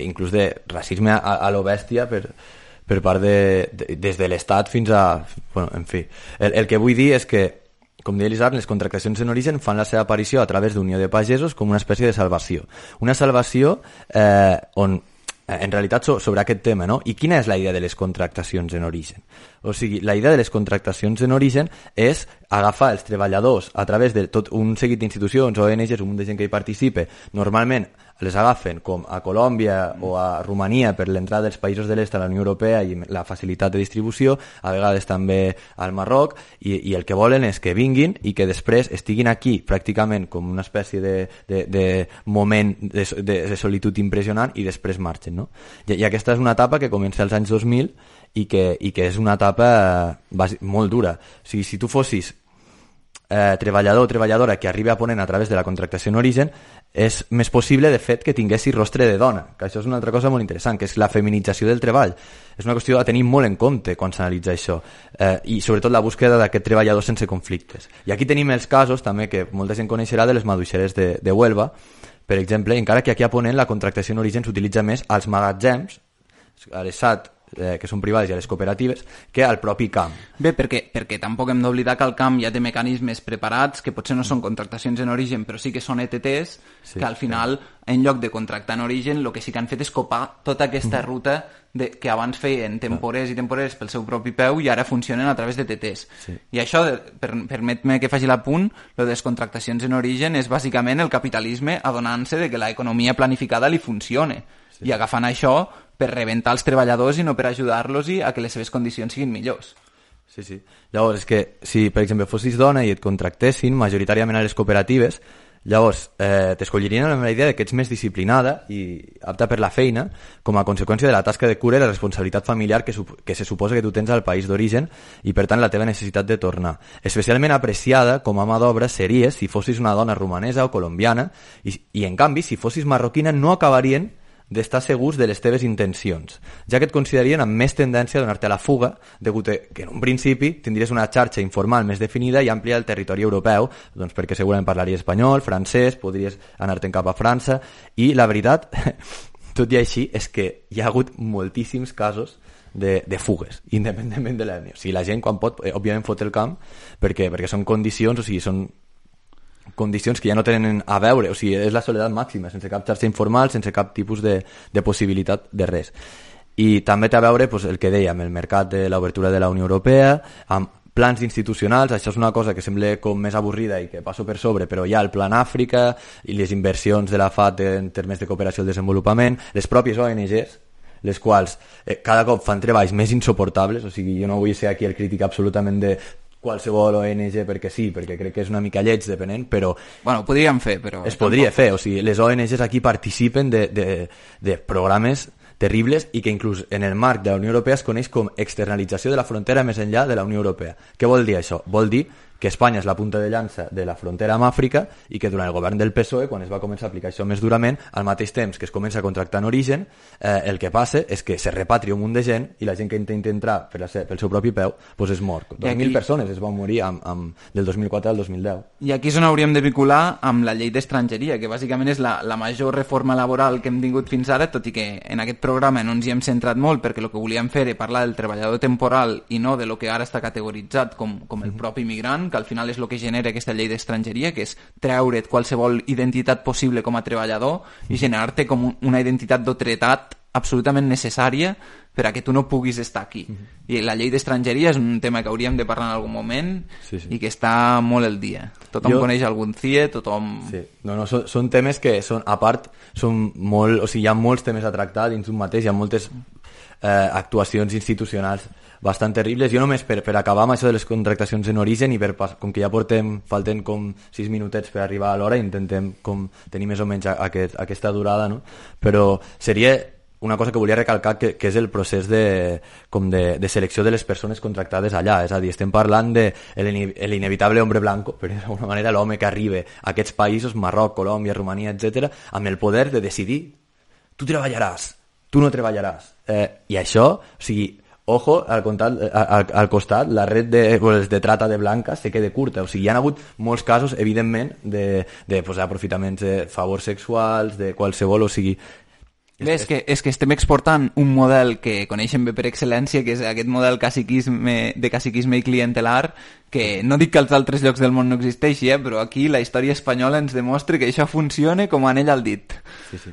inclús de racisme a lo bèstia per part des de l'Estat fins a... Bueno, en fi. El que vull dir és que, com deia l'Isaac, les contractacions en origen fan la seva aparició a través d'Unió de Pagesos com una espècie de salvació. Una salvació on en realitat sobre aquest tema, no? I quina és la idea de les contractacions en origen? O sigui, la idea de les contractacions en origen és agafar els treballadors a través de tot un seguit d'institucions, ONGs, un munt de gent que hi participe. Normalment les agafen com a Colòmbia o a Romania per l'entrada dels països de l'est a la Unió Europea i la facilitat de distribució, a vegades també al Marroc, i el que volen és que vinguin i que després estiguin aquí pràcticament com una espècie de moment de solitud impressionant i després marxen, no? I aquesta és una etapa que comença als anys 2000 i que és una etapa molt dura. O sigui, si tu fossis treballador o treballadora que arriba a Ponent a través de la contractació en origen, és més possible, de fet, que tinguessis rostre de dona, que això és una altra cosa molt interessant, que és la feminització del treball. És una qüestió a tenir molt en compte quan s'analitza això, i sobretot la búsqueda d'aquest treballador sense conflictes. I aquí tenim els casos, també, que molta gent coneixerà, de les maduixeres de Huelva, per exemple, encara que aquí a Ponent la contractació en origen s'utilitza més als magatzems, a les SAT, que són privades, i a les cooperatives, que al propi camp. Bé, perquè tampoc hem d'oblidar que el camp ja té mecanismes preparats, que potser no són contractacions en origen, però sí que són ETTs, que al final, en lloc de contractar en origen, el que sí que han fet és copar tota aquesta ruta que abans feien temporers i temporeres pel seu propi peu i ara funcionen a través de TTs. I això, permet-me que faci l'apunt, lo de les contractacions en origen és bàsicament el capitalisme adonant-se de que l'economia planificada li funcione i agafant això per rebentar els treballadors i no per ajudar-los a que les seves condicions siguin millors. Sí. Llavors, és que si, per exemple, fossis dona i et contractessin majoritàriament a les cooperatives, llavors t'escollirien amb la idea que ets més disciplinada i apta per la feina com a conseqüència de la tasca de cura i la responsabilitat familiar que se suposa que tu tens al país d'origen i, per tant, la teva necessitat de tornar. Especialment apreciada com a mà d'obra series si fossis una dona romanesa o colombiana i en canvi, si fossis marroquina, no acabarien d'estar segurs de les teves intencions, ja que et considerarien amb més tendència a donar-te a la fuga, degut a que en un principi tindries una xarxa informal més definida i àmplia al territori europeu, doncs perquè segurament parlaries espanyol, francès, podries anar-te'n cap a França, i la veritat, tot i així, és que hi ha hagut moltíssims casos de fugues, independentment de l'ètnia. O sigui, la gent quan pot, òbviament fot el camp, perquè són condicions, o sigui, són condicions que ja no tenen a veure, o sigui, és la soledat màxima, sense cap xarxa informal, sense cap tipus de possibilitat de res. I també té a veure pues, el que dèiem, el mercat de l'obertura de la Unió Europea, amb plans institucionals, això és una cosa que sembla com més avorrida i que passo per sobre, però hi ha el Plan Àfrica i les inversions de la FAT en termes de cooperació al desenvolupament, les pròpies ONGs, les quals cada cop fan treballs més insuportables, o sigui, jo no vull ser aquí el crític absolutament de qualsevol ONG perquè sí, perquè crec que és una mica lleig depenent, però... Bueno, ho podríem fer, però... Es podria fer, o sigui, les ONGs aquí participen de programes terribles i que inclús en el marc de la Unió Europea es coneix com externalització de la frontera més enllà de la Unió Europea. Què vol dir això? Vol dir que Espanya és la punta de llança de la frontera amb Àfrica i que durant el govern del PSOE, quan es va començar a aplicar això més durament, al mateix temps que es comença a contractar en origen, el que passa és que se repatria un munt de gent i la gent que intenta entrar pel seu propi peu pues es mor. 2.000 persones es van morir del 2004 al 2010. I aquí és on hauríem de vincular amb la llei d'estrangeria, que bàsicament és la major reforma laboral que hem tingut fins ara, tot i que en aquest programa no ens hi hem centrat molt perquè el que volíem fer era parlar del treballador temporal i no de lo que ara està categoritzat com el propi migrant, important, que al final és el que genera aquesta llei d'estrangeria, que és treure't qualsevol identitat possible com a treballador i generar-te com una identitat d'autoritat absolutament necessària per a que tu no puguis estar aquí. I la llei d'estrangeria és un tema que hauríem de parlar en algun moment i que està molt al dia. Tothom coneix algun CIE, tothom... Sí. No, són temes que són, a part, són molt... O sigui, hi ha molts temes a tractar dins d'un mateix, hi ha moltes actuacions institucionals bastant terribles. Jo només per acabar amb això de les contractacions en origen i com que ja falten com 6 minutets per arribar a l'hora, intentem com tenir més o menys aquesta durada, no? Però seria una cosa que volia recalcar, que és el procés de selecció de les persones contractades allà. És a dir, estem parlant de l'inevitable hombre blanco, per dir d'alguna manera, l'home que arriba a aquests països, Marroc, Colòmbia, Romania, etc., amb el poder de decidir tu treballaràs, tu no treballaràs. I això, o sigui, ojo, al costat, la red de trata de blanques se queda curta. O sigui, hi ha hagut molts casos, evidentment, d'aprofitaments de favors sexuals, de qualsevol, o sigui... Bé, és que estem exportant un model que coneixem bé per excel·lència, que és aquest model de caciquisme i clientelar, que no dic que als altres llocs del món no existeixi, però aquí la història espanyola ens demostra que això funciona com anell al dit. Sí.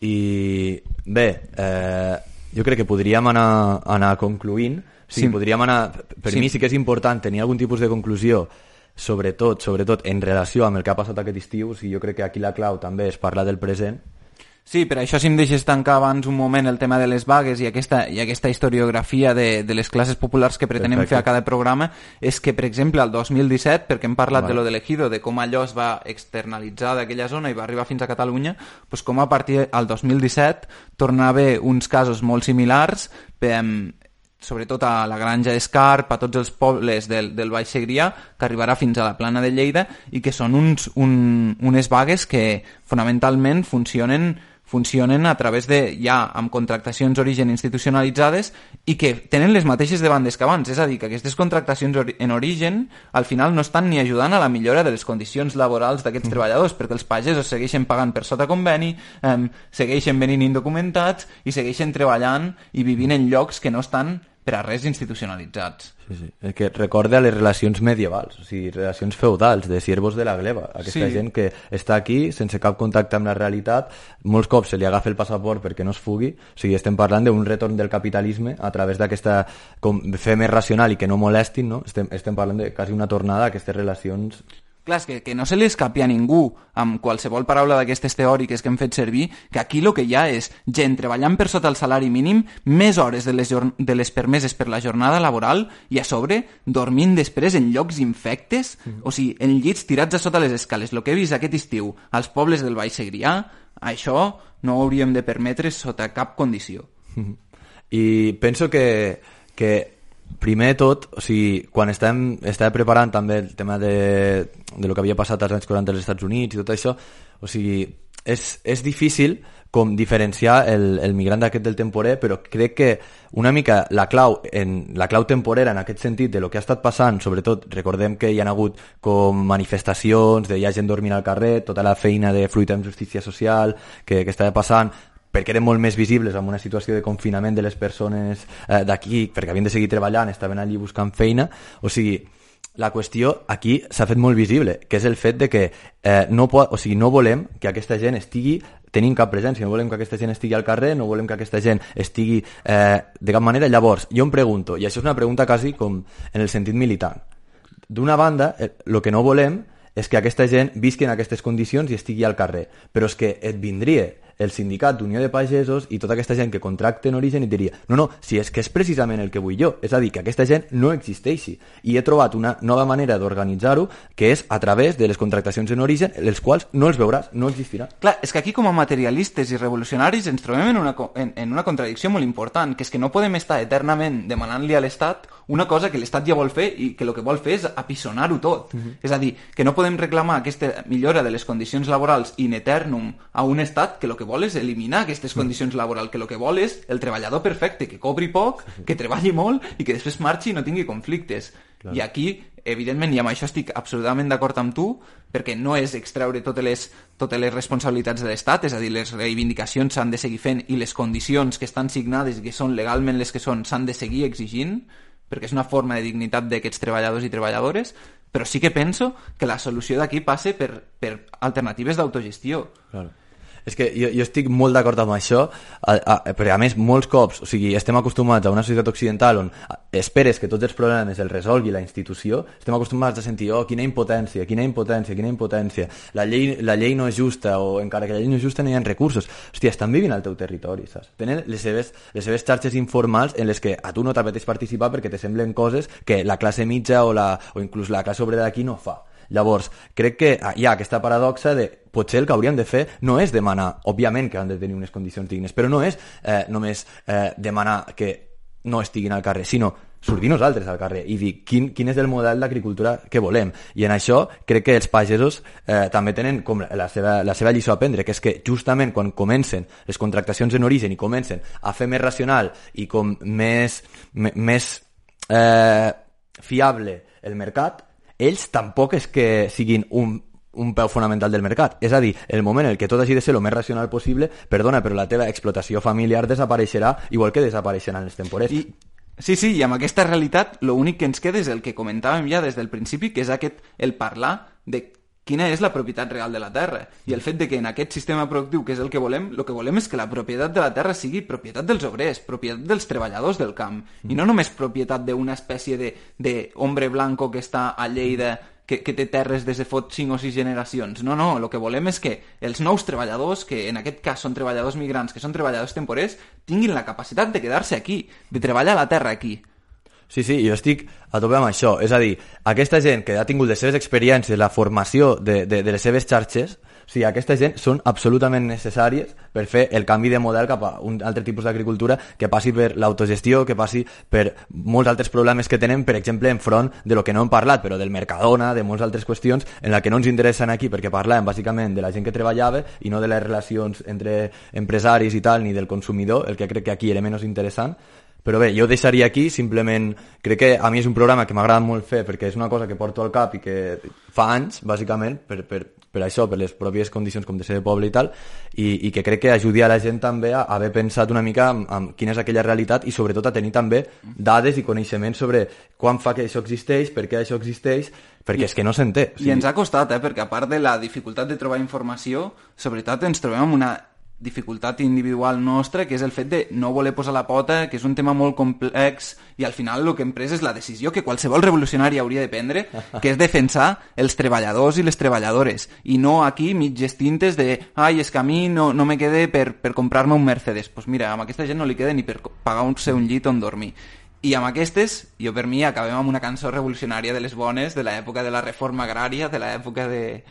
I bé, jo crec que podríem anar concluint. Podríem anar... Per mi sí que és important tenir algun tipus de conclusió, sobretot en relació amb el que ha passat aquest estiu. O sigui, jo crec que aquí la clau també és parlar del present. Sí, per això si em deixes tancar abans un moment el tema de les vagues i aquesta historiografia de les classes populars que pretenem fer a cada programa, és que, per exemple, al 2017, perquè hem parlat de lo de l'Ejido, de com allò es va externalitzar d'aquella zona i va arribar fins a Catalunya, doncs com a partir del 2017 torna a haver uns casos molt similars, sobretot a la Granja d'Escarp, a tots els pobles del Baix Segrià, que arribarà fins a la Plana de Lleida, i que són unes vagues que fonamentalment funcionen a través amb contractacions d'origen institucionalitzades i que tenen les mateixes demandes que abans. És a dir, que aquestes contractacions en origen al final no estan ni ajudant a la millora de les condicions laborals d'aquests treballadors, perquè els pagesos segueixen pagant per sota conveni, segueixen venint indocumentats i segueixen treballant i vivint en llocs que no estan per a res institucionalitzats. Sí. El que recorda les relacions medievals, o sigui, relacions feudals, de siervos de la gleba. Aquesta gent que està aquí sense cap contacte amb la realitat, molts cops se li agafa el passaport perquè no es fugui. O sigui, estem parlant d'un retorn del capitalisme a través d'aquesta fer més racional i que no molestin, no? Estem parlant de quasi una tornada a aquestes relacions. Clar, és que no se li escapi a ningú amb qualsevol paraula d'aquestes teòriques que hem fet servir, que aquí el que hi ha és gent treballant per sota el salari mínim, més hores de les permeses per la jornada laboral i a sobre dormint després en llocs infectes, o sigui, en llits tirats a sota les escales. El que he vist aquest estiu als pobles del Baix Segrià, això no ho hauríem de permetre sota cap condició. I penso que primer de tot, o sigui, quan estava preparant també el tema de lo que havia passat als anys 40 als Estats Units i tot això, o sigui, és difícil com diferenciar el migrant d'aquest del temporer, però crec que una mica la clau temporera en aquest sentit de lo que ha estat passant, sobretot recordem que hi ha hagut com manifestacions, hi ha gent dormint al carrer, tota la feina de fruita amb justícia social que estava passant, perquè eren molt més visibles en una situació de confinament de les persones d'aquí, perquè havien de seguir treballant, estaven allí buscant feina. O sigui, la qüestió aquí s'ha fet molt visible, que és el fet de que no volem que aquesta gent estigui tenint cap presència, no volem que aquesta gent estigui al carrer, no volem que aquesta gent estigui de cap manera. Llavors, jo em pregunto, i això és una pregunta quasi com en el sentit militant, d'una banda, el que no volem és que aquesta gent visqui en aquestes condicions i estigui al carrer, però és que et vindria el sindicat d'Unió de Pagesos i tota aquesta gent que contracta en origen i diria no, si és que és precisament el que vull jo, és a dir, que aquesta gent no existeixi, i he trobat una nova manera d'organitzar-ho, que és a través de les contractacions en origen, les quals no els veuràs, no existirà. Clar, és que aquí com a materialistes i revolucionaris ens trobem en una contradicció molt important, que és que no podem estar eternament demanant-li a l'Estat una cosa que l'Estat ja vol fer i que el que vol fer és apissonar-ho tot. És a dir, que no podem reclamar aquesta millora de les condicions laborals in eternum a un Estat que el que vol és eliminar aquestes condicions laborals, que el que vol és el treballador perfecte, que cobri poc, que treballi molt i que després marxi i no tingui conflictes. Clar. I aquí, evidentment, i amb això estic absolutament d'acord amb tu, perquè no és extreure totes les responsabilitats de l'Estat, és a dir, les reivindicacions s'han de seguir fent i les condicions que estan signades i que són legalment les que són s'han de seguir exigint, perquè és una forma de dignitat d'aquests treballadors i treballadores, però sí que penso que la solució d'aquí passa per alternatives d'autogestió. Claro. És que jo estic molt d'acord amb això, perquè a més molts cops, o sigui, estem acostumats a una societat occidental on esperes que tots els problemes els resolgui la institució, estem acostumats a sentir, oh, quina impotència, la llei no és justa, o encara que la llei no és justa no hi ha recursos. Hòstia, estan vivint al teu territori, saps? Tenen les seves xarxes informals en les que a tu no t'apeteix participar perquè te semblen coses que la classe mitja o inclús la classe obrera d'aquí no fa. Llavors, crec que hi ha aquesta paradoxa de potser el que hauríem de fer no és demanar, òbviament que han de tenir unes condicions dignes, però no és només demanar que no estiguin al carrer, sinó sortir nosaltres al carrer i dir quin és el model d'agricultura que volem. I en això crec que els pagesos també tenen com la seva lliçó a aprendre, que és que justament quan comencen les contractacions en origen i comencen a fer més racional i com més fiable el mercat, ells tampoc és que siguin un peu fonamental del mercat. És a dir, el moment en què tot hagi de ser el més racional possible, perdona, però la teva explotació familiar desapareixerà igual que desapareixeran els temporers. Sí, i amb aquesta realitat l'únic que ens queda és el que comentàvem ja des del principi, que és el parlar de quina és la propietat real de la terra. I el fet de que en aquest sistema productiu, que és el que volem és que la propietat de la terra sigui propietat dels obrers, propietat dels treballadors del camp, i no només propietat d'una espècie de hombre blanco que està a Lleida, que té terres des de fot 5 o 6 generacions. No, el que volem és que els nous treballadors, que en aquest cas són treballadors migrants, que són treballadors temporers, tinguin la capacitat de quedar-se aquí, de treballar la terra aquí. Sí, jo estic a tope amb això. És a dir, aquesta gent que ha tingut les seves experiències, la formació de les seves xarxes, o sigui, aquesta gent són absolutament necessàries per fer el canvi de model cap a un altre tipus d'agricultura que passi per l'autogestió, que passi per molts altres problemes que tenen, per exemple, enfront de lo que no hem parlat, però del Mercadona, de moltes altres qüestions en la que no ens interessen aquí, perquè parlàvem bàsicament de la gent que treballava i no de les relacions entre empresaris i tal, ni del consumidor, el que crec que aquí era menys interessant. Però bé, jo deixaria aquí, simplement crec que a mi és un programa que m'agrada molt fer perquè és una cosa que porto al cap i que fa anys, bàsicament, per això, per les pròpies condicions com de ser de poble i tal, i que crec que ajudi a la gent també a haver pensat una mica en quina és aquella realitat i sobretot a tenir també dades i coneixements sobre quan fa que això existeix, per què això existeix, perquè és que no s'entén. I ens ha costat, perquè a part de la dificultat de trobar informació, sobretot ens trobem amb una dificultat individual nostra, que és el fet de no voler posar la pota, que és un tema molt complex, i al final el que hem pres és la decisió que qualsevol revolucionari hauria de prendre, que és defensar els treballadors i les treballadores, i no aquí mitges tintes de ai, és que a mi no me quede per comprar-me un Mercedes. Doncs mira, amb aquesta gent no li queda ni per pagar-se un llit on dormir. I amb aquestes, jo per mi acabem amb una cançó revolucionària de les bones, de l'època de la reforma agrària, de l'època de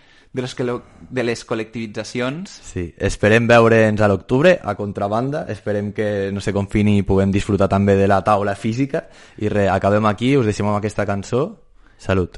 les col·lectivitzacions. Sí, esperem veure'ns a l'octubre a Contrabanda, esperem que no se confini i puguem disfrutar també de la taula física i acabem aquí, us deixem amb aquesta cançó. Salut.